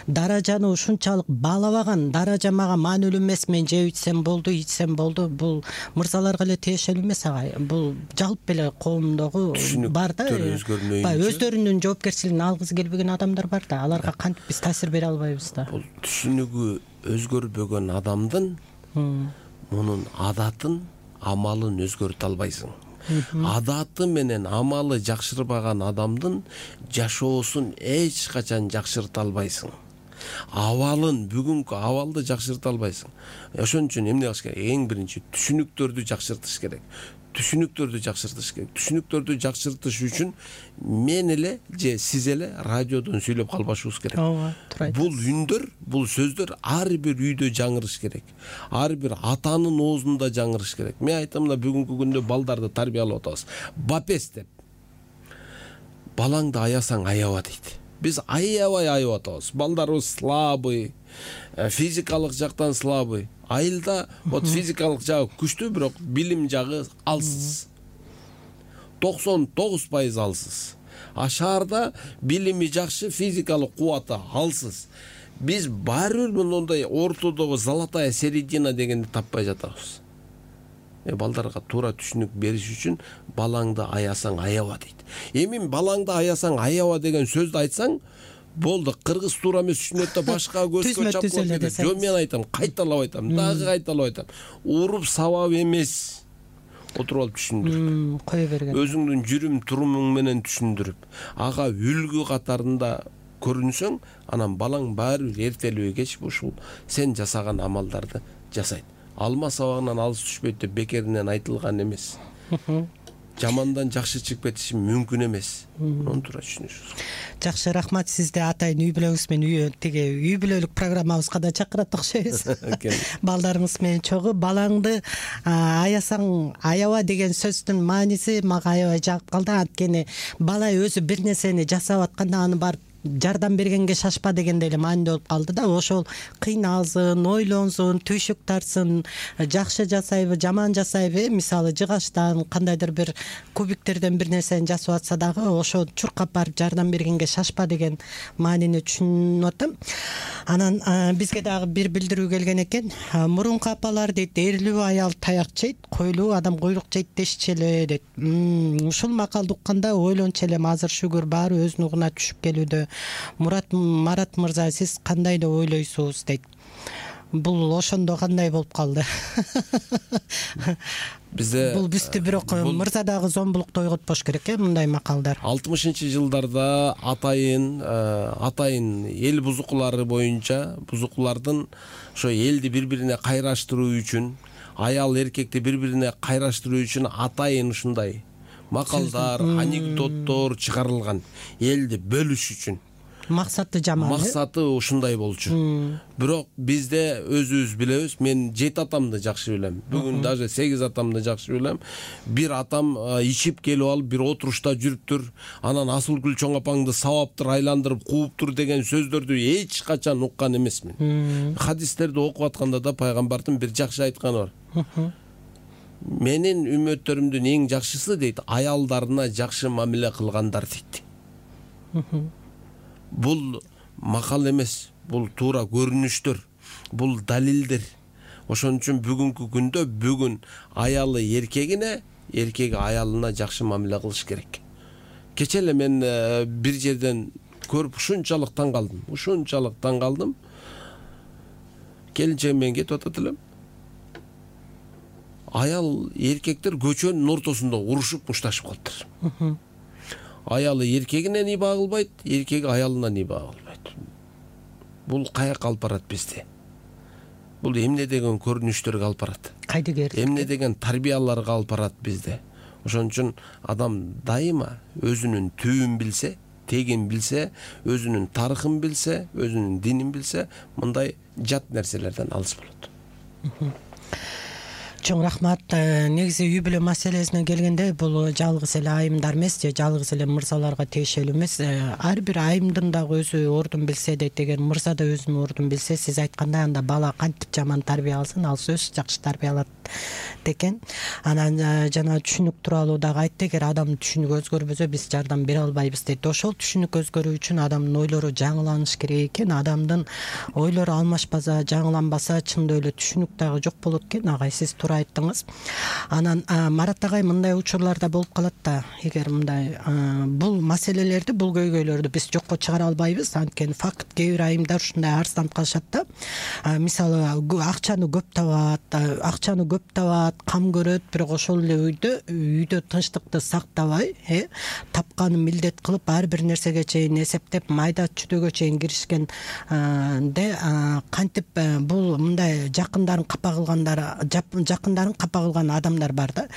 даражаны ушунчалык баалабаган, даража мага маанилүү эмес, мен жеп ичсем болду, ичсем болду. Бул мырзаларга эле тиешелүү эмес агай. Бул жалпы эле коомдогу бар да. Өздөрүнүн жоопкерчилигин алгысы келбеген адамдар бар да. Аларга кантип биз таасир бере албайбыз да. Бул түшүнүгү өзгөрбөгөн адамдын мунун адатын, амалын өзгөртө албайсың. Адаты менен амалы жакшырбаган адамдын жашоосун эч качан жакшырта албайсың. Абалын, бүгүнкү абалды жакшырта албайсың. Ошон үчүн эмне кылыш керек? Эң биринчи түшүнүктөрдү жакшыртыш керек. Түшүнүктөрдү жакшыртыш керек. Түшүнүктөрдү жакшыртыш үчүн мен эле же сиз эле радиодон сүйлөп калбашыбыз керек. Ооба, туура айтасыз. Бул үндөр, бул сөздөр ар бир үйдө жаңырыш керек. Ар бир атанын оозунда жаңырыш керек. Мен айтам да, бүгүнкү күндө балдарды тарбиялап атабыз. Бапес деп. Балаңды аясаң аяба дейт. Биз аябай аябап атабыз. Балдарыбыз слабый, физикалык жактан слабый. Айылда вот физикалык жагы күчтүү, бирок билим жагы алсыз. токсон тогуз пайыз алсыз. А шаарда билими жакшы, физикалык кубаты алсыз. Биз баары бир мындай ортодогу золотая середина дегенди таппай жатабыз. Э балдарга туура түшүнүк бериш үчүн балаңды аясаң аяба дейт. Эми балаңды аясаң аяба деген сөздү айтсаң, болду, кыргыз туура эмес түшүнөт да башка көзгө чапкылап кетет. Жо, мен айтам, кайталап айтам, дагы кайталап айтам. Уруп сабап эмес. Отуруп алып түшүндүрүп, кое берген. Өзүңдүн жүрүм турумуң менен түшүндүрүп, ага үлгү катарында көрүнсөң, анан балаң баары бир эртелүү кеч ушул сен жасаган амалдарды жасайт. Алма сабагынан алыс түшпөйт деп бекеринен айтылган эмес. Жамандан жакшы чыгып кетиши мүмкүн эмес. Муну туура түшүнүшүбүз. Жакшы, рахмат. Сизди атайын үй бүлөңүз менен тиги үй бүлөлүк программабызга да чакырат окшойбуз. Балдарыңыз менен чогуу. Балаңды аясаң аяба деген сөздүн мааниси мага аябай жагып калды. Анткени бала өзү бир нерсени жасап атканда аны барып жардам бергенге шашпа дегенде эле маанилүү болуп калды да. Ошол кыйналсын, ойлонсун, түйшүк тартсын, жакшы жасайбы, жаман жасайбы, мисалы жыгачтан кандайдыр бир кубиктерден бир нерсени жасап атса дагы ошо чуркап барып жардам бергенге шашпа деген маанини түшүнүп атам. Анан бизге дагы бир билдирүү келген экен. Мурунку апалар дейт, эрлүү аял таяк жейт, койлуу адам куйрук жейт дешчү эле дейт. Ушул макалды укканда ойлончу элем, азыр шүгүр баары өз нугуна түшүп келүүдө. Мурат Марат мырза, сиз кандай деп ойлойсуз дейт. Бул ошондо кандай болуп калды? бизде бул бизди бирок мырза дагы зомбулукта ойготпош керек э мындай макалдар. алтымышынчы жылдарда атайын атайын эл бузукулары боюнча бузукулардын ошо элди бири бирине кайраштыруу үчүн, аял эркекти бири бирине кайраштыруу үчүн атайын ушундай макалдар, анекдоттор чыгарылган, элди бөлүш үчүн. Максаты жаман. Максаты ушундай болчу. Бирок бизде өзүбүз билебиз, мен жети атамды жакшы билем. Бүгүн даже сегиз атамды жакшы билем. Бир атам ичип келип алып, бир отурушта жүрүптүр, анан Асылгүл чоң апаңды сабаптыр, айландырып кууптур деген сөздөрдү эч качан уккан эмесмин. Хадистерди окуп атканда да пайгамбардын бир жакшы айтканы бар. Менин үммөттөрүмдүн эң жакшысы дейт, аялдарына жакшы мамиле кылгандар дейт. Бул макал эмес, бул туура көрүнүштөр, бул далилдер. Ошон үчүн бүгүнкү күндө бүгүн аялы эркегине, эркеги аялына жакшы мамиле кылыш керек. Кече эле мен бир жерден көрүп ушунчалык таң калдым, ушунчалык таң калдым. Келинчегим менен кетип атат элем. Аял эркектер көчөнүн ортосунда урушуп мушташып калыптыр. Аялы эркегине ниба кылбайт, эркеги аялына ниба кылбайт. Бул каяка алып барат бизди? Бул эмне деген көрүнүштөргө алып барат? Кайдыгер? Эмне деген тарбияларга алып барат бизди? Ошон үчүн адам дайыма өзүнүн түбүн билсе, тегин билсе, өзүнүн тарыхын билсе, өзүнүн динин билсе, мындай жат нерселерден алыс болот. Чоң рахмат. Негизи үй бүлө маселесине келгенде бул жалгыз эле айымдар эмес, же жалгыз эле мырзаларга тиешелүү эмес. Ар бир айымдын дагы өзү ордун билсе дейт. Эгер мырза да өзүнүн ордун билсе, сиз айткандай, анда бала кантип жаман тарбия алсын, ал сөзсүз жакшы тарбия алат экен. Анан жана түшүнүк тууралуу дагы айтты. Эгер адамдын түшүнүгү өзгөрбөсө, биз жардам бере албайбыз дейт. Ошол түшүнүк өзгөрүү үчүн адамдын ойлору жаңыланыш керек экен. Адамдын ойлору алмашпаса, жаңыланбаса, чындап эле түшүнүк дагы жок болот экен. Агай, сиз айттыңыз. Анан Марат агай, мындай учурларда болуп калат да, эгер мындай бул маселелерди, бул көйгөйлөрдү биз жокко чыгара албайбыз. Анткени факт, кээ бир айымдар ушундай арызданып калышат да. Мисалы, акчаны көп табат, акчаны көп табат, кам көрөт, бирок ошол эле үйдө үйдө тынчтыкты сактабай, э, тапканын милдет кылып, ар бир нерсеге чейин эсептеп, майда чүдөгө чейин киришкен де кантип бул мындай жакындарын капа кылгандар, жакындарын капа кылган адамдар бар да.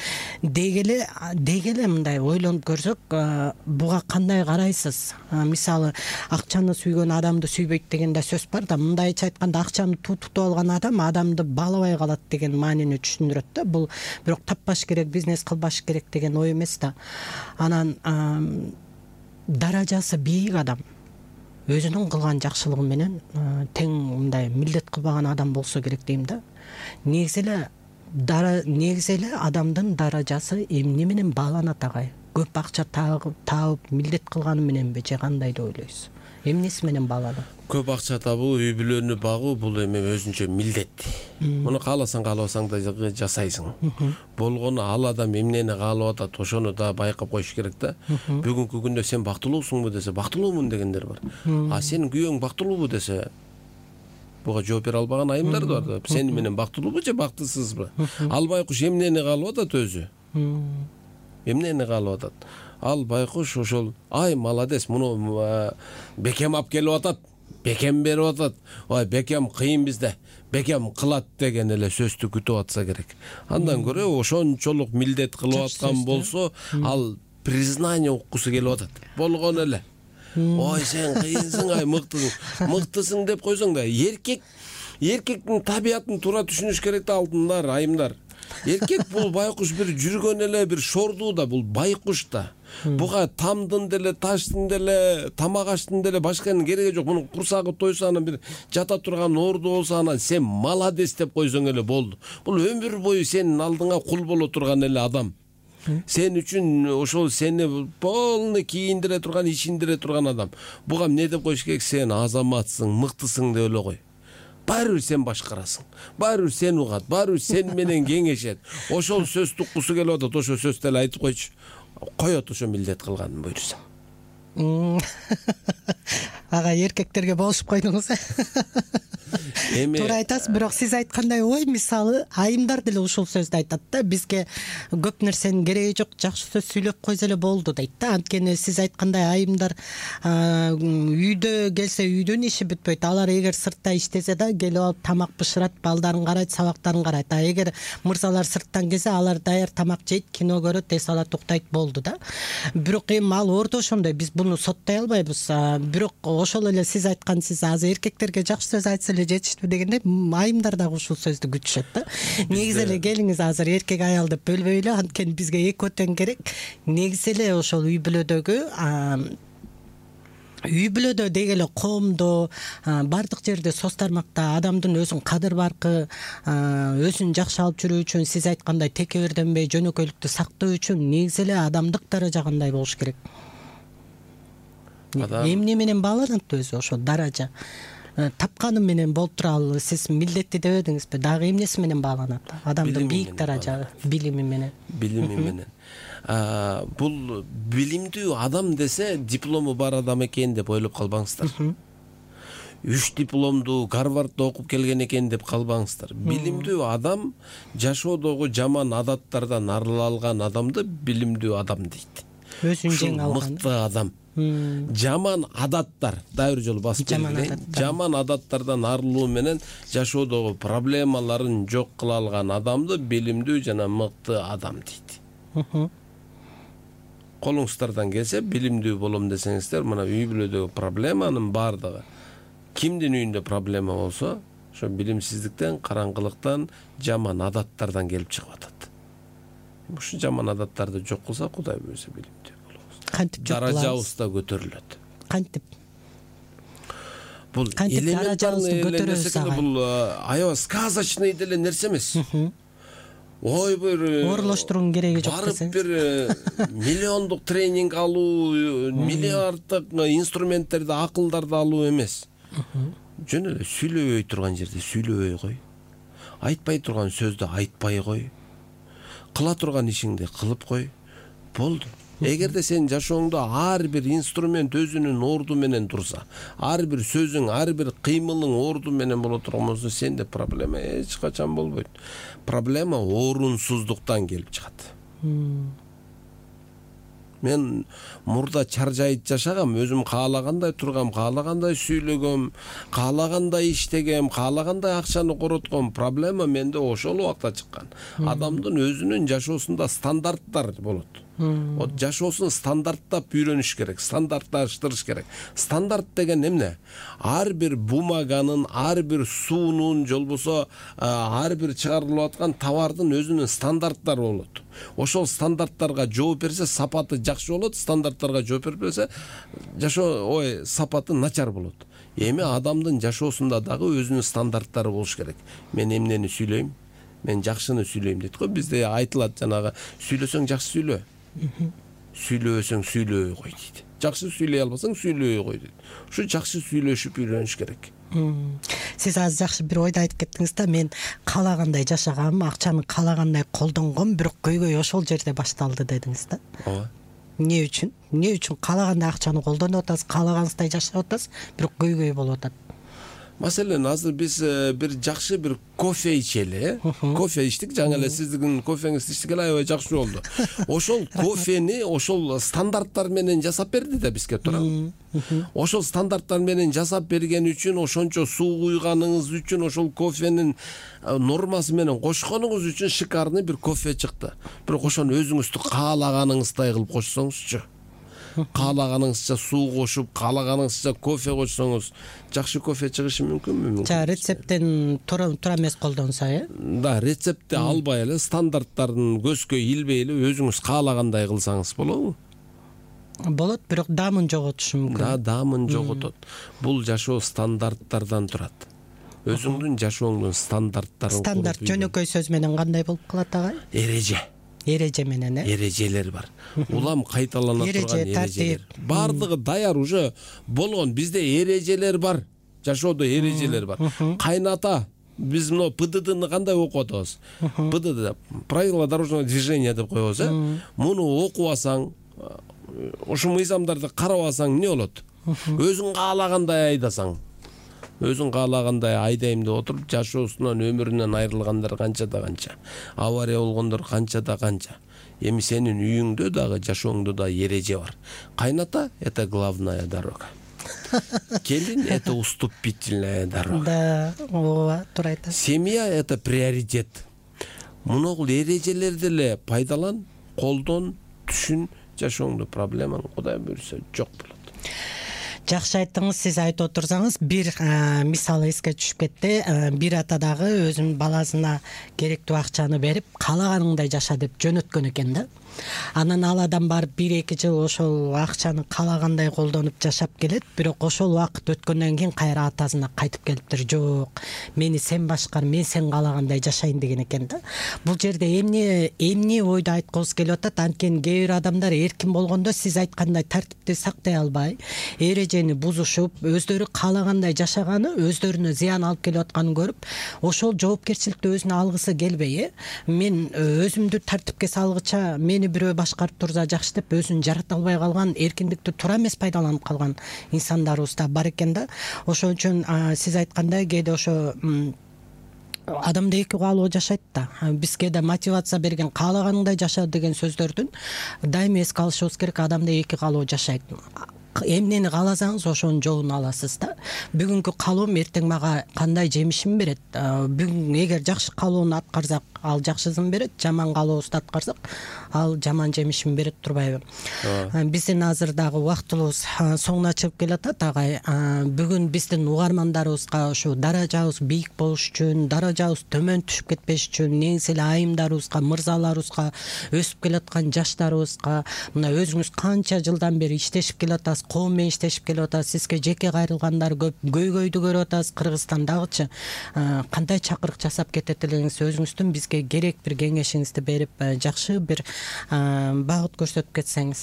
Дегеле дегеле мындай ойлонуп көрсөк, буга кандай карайсыз? Мисалы, акчаны сүйгөн адамды сүйбөйт деген да сөз бар да. Мындайча айтканда, акчаны тутуп алган адам адамды баалабай калат деген маанини түшүндүрөт да. Бул бирок таппаш керек, бизнес кылбаш керек деген ой эмес да. Анан даражасы бийик адам өзүнүн кылган жакшылыгы менен тең мындай милдет кылбаган адам болсо керек дейм да. Негизи эле дара негизи эле адамдын даражасы эмне менен бааланат агай? Көп акча таап милдет кылганы мененби, же кандай деп ойлойсуз? Эмнеси менен бааланат? Көп акча табуу, үй бүлөнү багуу бул эми өзүнчө милдет. Муну кааласаң каалабасаң да жасайсың. Болгону ал адам эмнени каалап атат, ошону да байкап коюш керек да. Бүгүнкү күндө сен бактылуусуңбу десе, бактылуумун дегендер бар. А сенин күйөөң бактылуубу десе, буга жооп бере албаган айымдар да бар. Сени менен бактылуубу же бактысызбы? Ал байкуш эмнени каалап атат өзү? Эмнени каалап атат? Ал байкуш ошол, ай молодец, муну бекем алып келип атат, бекем берип атат, ой бекем кыйын бизде, бекем кылат деген эле сөздү күтүп атса керек. Андан көрө ошончолук милдет кылып аткан болсо, ал признание уккусу келип атат. Болгон эле. Ой, сен кыйынсың, ай мыктысың, мыктысың деп койсоң да, эркек эркектин табиятын туура түшүнүш керек да, алтындар, айымдар. Эркек бул байкуш бир жүргөн эле бир шордуу да, бул байкуш да. Буга тамдын деле, таштын деле, тамак аштын деле башканын кереги жок. Мунун курсагы тойсо, анан бир жата турган орду болсо, анан сен молодец деп койсоң эле болду. Бул өмүр бою сенин алдыңа кул боло турган эле адам. Сен үчүн ошол сени полный кийиндире турган, ичиндире турган адам. Буга эмне деп коюш керек? Сен азаматсың, мыктысың деп эле кой. Баары бир сен башкарасың. Баары бир сен угат, баары бир сен менен кеңешет. Ошол сөз туккусу келип атат, ошол сөздү эле айтып койчу. Коет ошо милдет кылганын буйрса. Ага, эркектерге болушуп койдуңуз. эми туура айтасыз, бирок сиз айткандай ой, мисалы айымдар деле ушул сөздү айтат да, бизге көп нерсенин кереги жок, жакшы сөз сүйлөп койсо эле болду дейт да. Анткени сиз айткандай айымдар үйдө келсе үйдүн иши бүтпөйт. Алар эгер сыртта иштесе да келип алып тамак бышырат, балдарын карайт, сабактарын карайт. А эгер мырзалар сырттан келсе, алар даяр тамак жейт, кино көрөт, эс алат, уктайт, болду да. Бирок эми ал ордо ошондой, биз буну соттой албайбыз. Бирок ошол эле сиз айткансыз, азыр эркектерге жакшы сөз айтса эле жетиштүү дегенде, айымдар дагы ушул сөздү күтүшөт да. Негизи эле келиңиз азыр эркек аял деп бөлбөйлү, анткени бизге экөө тең керек. Негизи эле ошол үй бүлөдөгү үй бүлөдө деги эле коомдо бардык жерде соц тармакта адамдын өзүн кадыр баркы, өзүн жакшы алып жүрүү үчүн, сиз айткандай текеберденбей жөнөкөйлүктү сактоо үчүн негизи эле адамдык даража кандай болуш керек? Эмне менен бааланат өзү ошол даража? Тапканым менен болуп туралы, сиз милдетти дебедиңизби? Дагы эмнеси менен бааланат? Адамдын бийик даража билими менен. Билими менен. Бул билимдүү адам десе диплому бар адам экен деп ойлоп калбаңыздар. Үч дипломду Гарвардда окуп келген экен деп калбаңыздар. Билимдүү адам жашоодогу жаман адаттардан арыла алган адамды билимдүү адам дейт. Өзүн жеңе алган. Мыкты адам. Жаман адаттар, дайыр жолу басып келген. Жаман адаттардан арылуу менен жашоодогу проблемаларын жок кыла алган адамды билимдүү жана мыкты адам дейт. Колуңуздардан келсе, билимдүү болом десеңиздер, мына үй бүлөдөгү проблеманын бардыгы кимдин үйүндө проблема болсо, ошо билимсиздиктен, караңгылыктан, жаман адаттардан келип чыгып атат. Ушу жаман адаттарды жок кылса, Кудай буйрса билимдүү болобуз. Кантип жок кылабыз? Даражабыз да көтөрүлөт. Кантип? Бул элементарный нерсе, бул аябай сказочный деле нерсе эмес. Ой, бир орлоштуруунун кереги жок барып десеңиз. бир миллиондук тренинг алуу, миллиарддык инструменттерди, акылдарды алуу эмес. Жөн эле сүйлөбөй турган жерде сүйлөбөй кой. Айтпай турган сөздү айтпай кой. Кыла турган ишиңди кылып кой. Болду. Эгерде сен жашооңдо ар бир инструмент өзүнүн орду менен турса, ар бир сөзүң, ар бир кыймылың орду менен боло турган болсо, сенде проблема эч качан болбойт. Проблема орунсуздуктан келип чыгат. Мен мурда чаржайып жашагам, өзүм каалагандай тургам, каалагандай сүйлөгөм, каалагандай иштегем, каалагандай акчаны коротком. Проблема менде ошол убакта чыккан. Адамдын өзүнүн жашоосунда стандарттар болот. Вот жашоосун стандарттап үйрөнүш керек, стандартташтырыш керек. Стандарт деген эмне? Ар бир бумаганын, ар бир суунун, же болбосо ар бир чыгарылып аткан товардын өзүнүн стандарттары болот. Ошол стандарттарга жооп берсе, сапаты жакшы болот, стандарттарга жооп бербесе, жашоо, ой, сапаты начар болот. Эми адамдын жашоосунда дагы өзүнүн стандарттары болуш керек. Мен эмнени сүйлөйм? Мен жакшыны сүйлөйм дейт го. Бизде айтылат жанагы, сүйлөсөң жакшы сүйлө. Сүйлөсөң сүйлөбөй кой дейт. Жакшы сүйлөй албасаң сүйлөбөй кой дейт. Ушу жакшы сүйлөшүп үйрөнүш керек. Сиз азыр жакшы бир ойду айтып кеттиңиз да, мен каалагандай жашагам, акчаны каалагандай колдонгом, бирок көйгөй ошол жерде башталды дедиңиз да. Ооба. Эмне үчүн? Эмне үчүн каалагандай акчаны колдонуп атасыз, каалагансыздай жашап атасыз, бирок көйгөй болуп атат? Маселен, азыр биз бир жакшы бир кофе ичели, кофе иштик, жаңы эле сиздин кофеңизди иштик эле, аябай жакшы болду. Ошол кофени ошол стандарттар менен жасап берди да бизге, туурабы? Ошол стандарттар менен жасап берген үчүн, ошончо суу куйганыңыз үчүн, ошол кофенин нормасы менен кошконуңуз үчүн шикарный бир кофе чыкты. Бирок ошону өзүңүздү каалаганыңыздай кылып кошсоңузчу, каалаганыңызча суу кошуп, каалаганыңызча кофе кошсоңуз, жакшы кофе чыгышы мүмкүнбү? Жа рецепттен туура туура эмес колдонсо, э? Да, рецептти албай эле, стандарттарын көзгө илбей эле өзүңүз каалагандай кылсаңыз болобу? Болот, бирок даамын жоготушу мүмкүн. Да, даамын жоготот. Бул жашоо стандарттардан турат. Өзүңдүн жашооңдун стандарттарын. Стандарт жөнөкөй сөз менен кандай болуп калат, агай? Эреже. Эреже менен, э? Эрежелер бар. Улам кайталана турган эрежелер. Бардыгы даяр уже болгон. Бизде эрежелер бар. Жашоодо эрежелер бар. Кайната, биз мына пэ дэ дэ-ны кандай окуп атабыз? пэ дэ дэ правила дорожного движения деп коебуз, э? Муну окуп алсаң, ошол мыйзамдарды карап алсаң эмне болот? Өзүң каалагандай айдасаң, өзүн каалагандай айдайм деп отуруп жашоосунан өмүрүнөн айрылгандар канча да канча, авария болгондор канча да канча. Эми сенин үйүңдө дагы жашооңдо да эреже бар. Кайната — это главная дорога. Келин — это уступительная дорога. Да, ооба, туура айтасыз. Семья — это приоритет. Муногул эрежелерди эле пайдалан, колдон, түшүн, жашооңдо проблемаң Кудай буйрса жок болот. Жакшы айттыңыз. Сиз айтып отурсаңыз, бир мисал эске түшүп кетти. Бир ата дагы өзүнүн баласына керектүү акчаны берип, каалаганыңдай жаша деп жөнөткөн экен да. Анан ал адам барып бир эки жыл ошол акчаны каалагандай колдонуп жашап келет, бирок ошол убакыт өткөндөн кийин кайра атасына кайтып келиптир. Жок, мени сен башкар, мен сен каалагандай жашайын деген экен да. Бул жерде эмне эмне ойду айткыбыз келип атат? Анткени кээ бир адамдар эркин болгондо сиз айткандай тартипти сактай албай, эрежени бузушуп, өздөрү каалагандай жашаганы өздөрүнө зыян алып келип атканын көрүп, ошол жоопкерчиликти өзүнө алгысы келбей, э мен өзүмдү тартипке салгыча мени бирөө башкарып турса жакшы деп өзүн жарата албай калган, эркиндикти туура эмес пайдаланып калган инсандарыбыз да бар экен да. Ошон үчүн сиз айткандай кээде ошо адамда эки каалоо жашайт да. Бизге да мотивация берген каалаганыңдай жаша деген сөздөрдүн дайыма эске алышыбыз керек. Адамда эки каалоо жашайт. Эмнени кааласаңыз ошонун жолун аласыз да. Бүгүнкү каалоом эртең мага кандай жемишин берет? Бүгүн эгер жакшы каалоону аткарсак, ал жакшысын берет, жаман каалообузду аткарсак, ал жаман жемишин берет, турбайбы? Биздин азыр дагы убактыбыз соңуна чыгып келатат, агай. Бүгүн биздин угармандарыбызга ушу даражабыз бийик болуш үчүн, даражабыз төмөн түшүп кетпеш үчүн, неңсе эле айымдарыбызга, мырзаларыбызга, өсүп келаткан жаштарыбызга, мына өзүңүз канча жылдан бери иштешип келатасыз, коом менен иштешип келип атасыз, сизге жеке кайрылгандар көп, көйгөйдү көрүп атасыз. Кыргызстандагычы кандай чакырык жасап кетет элеңиз, өзүңүздүн бизге керек бир кеңешиңизди берип, жакшы бир багыт көрсөтүп кетсеңиз.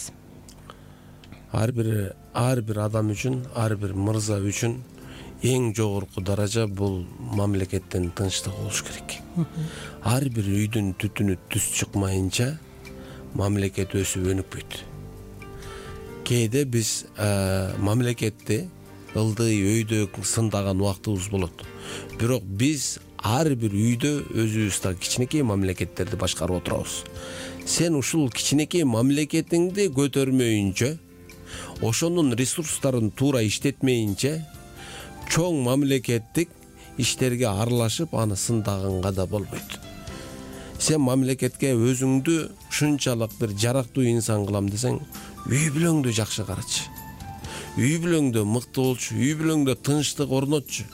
Ар бир ар бир адам үчүн, ар бир мырза үчүн эң жогорку даража бул мамлекеттин тынчтыгы болуш керек. Ар бир үйдүн түтүнү түз чыкмайынча мамлекет өсүп өнүкпөйт. Кээде биз мамлекетти ылдый өйдө сындаган убактыбыз болот. Бирок биз ар бир үйдө өзүбүздө кичинекей мамлекеттерди башкарып отурабыз. Сен ушул кичинекей мамлекетиңди көтөрмөйүнчө, ошонун ресурстарын туура иштетмейинче, чоң мамлекеттик иштерге аралашып, аны сындаганга да болбойт. Сен мамлекетке өзүңдү ушунчалык бир жарактуу инсан кылам десең, үй бүлөңдү жакшы карачы. Үй бүлөңдө мыкты болчу, үй бүлөңдө тынчтык орнотчу.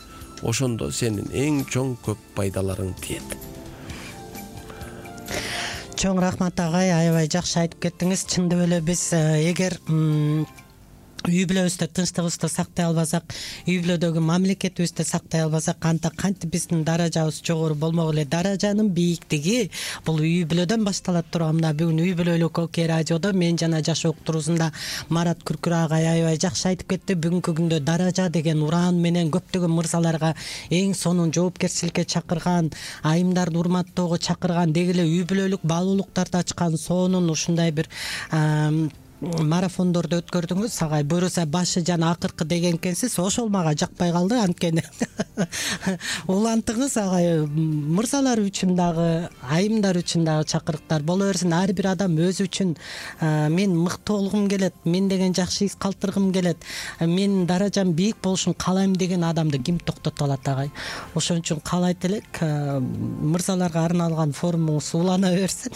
Ошондо сенин эң чоң көп пайдаларың тиет. Чоң рахмат агай, аябай жакшы айтып кеттиңиз. Чындап эле биз эгер үй бүлөбүздө тынчтыгыбызды сактай албасак, үй бүлөдөгү мамлекетибизди сактай албасак, анда кантип биздин даражабыз жогору болмок эле? Даражанын бийиктиги бул үй бүлөдөн башталат турган. Бүгүн үй бүлөлүк Окей радиодо мен жана жаш уктуруусунда Марат Күркүр агай аябай жакшы айтып кетти. Бүгүнкү күндө даража деген ураан менен көптөгөн мырзаларга эң сонун жоопкерчиликке чакырган, айымдарды урматтоого чакырган, деги эле үй бүлөлүк баалуулуктарды ачкан сонун ушундай бир марафондорду өткөрдүңүз агай. Буюрса башы жана акыркы деген экенсиз. Ошол мага жакпай калды, анткени улантыңыз агай. Мырзалар үчүн дагы, айымдар үчүн дагы чакырыктар боло берсин. Ар бир адам өзү үчүн мен мыкты болгум келет, мен деген жакшы ис калтыргым келет, мен даражам бийик болушун каалайм деген адамды ким токтото алат агай? Ошон үчүн каалайт элек мырзаларга арналган форумуңуз улана берсин.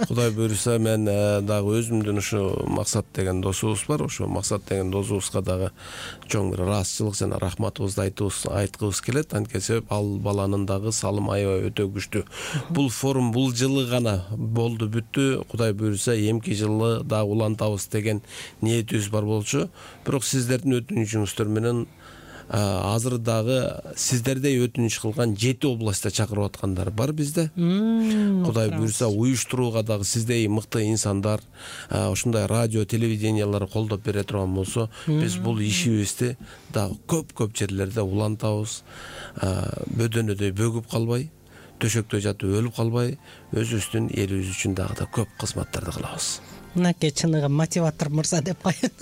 Кудай буйрса, мен дагы өзүмдүн ушу Максат деген досубуз бар. Ошо Максат деген досубузга дагы чоң бир ыраазычылык жана рахматыбызды айткыбыз келет. Анткени себеп ал баланын дагы салымы аябай өтө күчтүү. Бул форум бул жылы гана болду, бүттү. Кудай буйрса, эмки жылы дагы улантабыз деген ниетибиз бар болчу. Бирок сиздердин өтүнүчүңүздөр менен азыр дагы сиздердей өтүнүч кылган жети областта чакырып аткандар бар бизде. Кудай буйрса, уюштурууга дагы сиздей мыкты инсандар, ушундай радио, телевидениялар колдоп бере турган болсо, биз бул ишибизди дагы көп-көп жерлерде улантабыз. Бөдөнөдөй бөгүп калбай, төшөктө жатып өлүп калбай, өзүбүздүн элибиз үчүн дагы да көп кызматтарды кылабыз. Мынакей чыныгы мотиватор мырза деп коеюн.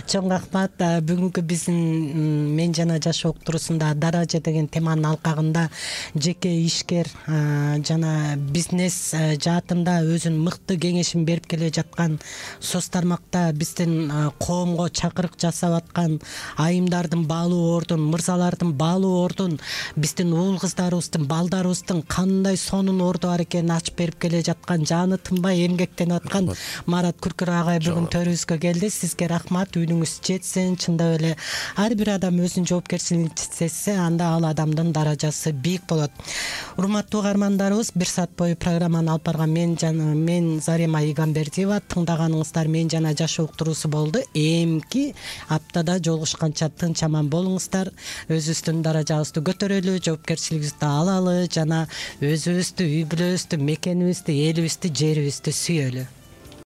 Чоң рахмат. Бүгүнкү биздин мен жана жашоо уктуруусунда даража деген теманын алкагында жеке ишкер жана бизнес жаатында өзүнүн мыкты кеңешин берип келе жаткан соц тармакта биздин коомго чакырык жасап аткан айымдардын баалуу ордун, мырзалардын баалуу ордун, биздин уул кыздарыбыздын, балдарыбыздын кандай сонун орду бар экенин ачып берип келе жаткан, жаны тынбай эмгектенип аткан Марат Күркүр агай бүгүн төрүбүзгө келди. Сизге рахмат. Үнүңүз жетсин. Чындап эле ар бир адам өзүнүн жоопкерчилигин сезсе, анда ал адамдын даражасы бийик болот. Урматтуу угармандарыбыз, бир саат бою программаны алып барган мен жана мен Зарема Игамбердиева. Тыңдаганыңыздар мен жана жашоо уктуруусу болду. Эмки аптада жолугушканча тынч аман болуңуздар. Өзүбүздүн даражабызды көтөрөлү, жоопкерчилигибизди алалы жана өзүбүздү, үй бүлөбүздү, мекенибизди, элибизди, жерибизди сүйөлү.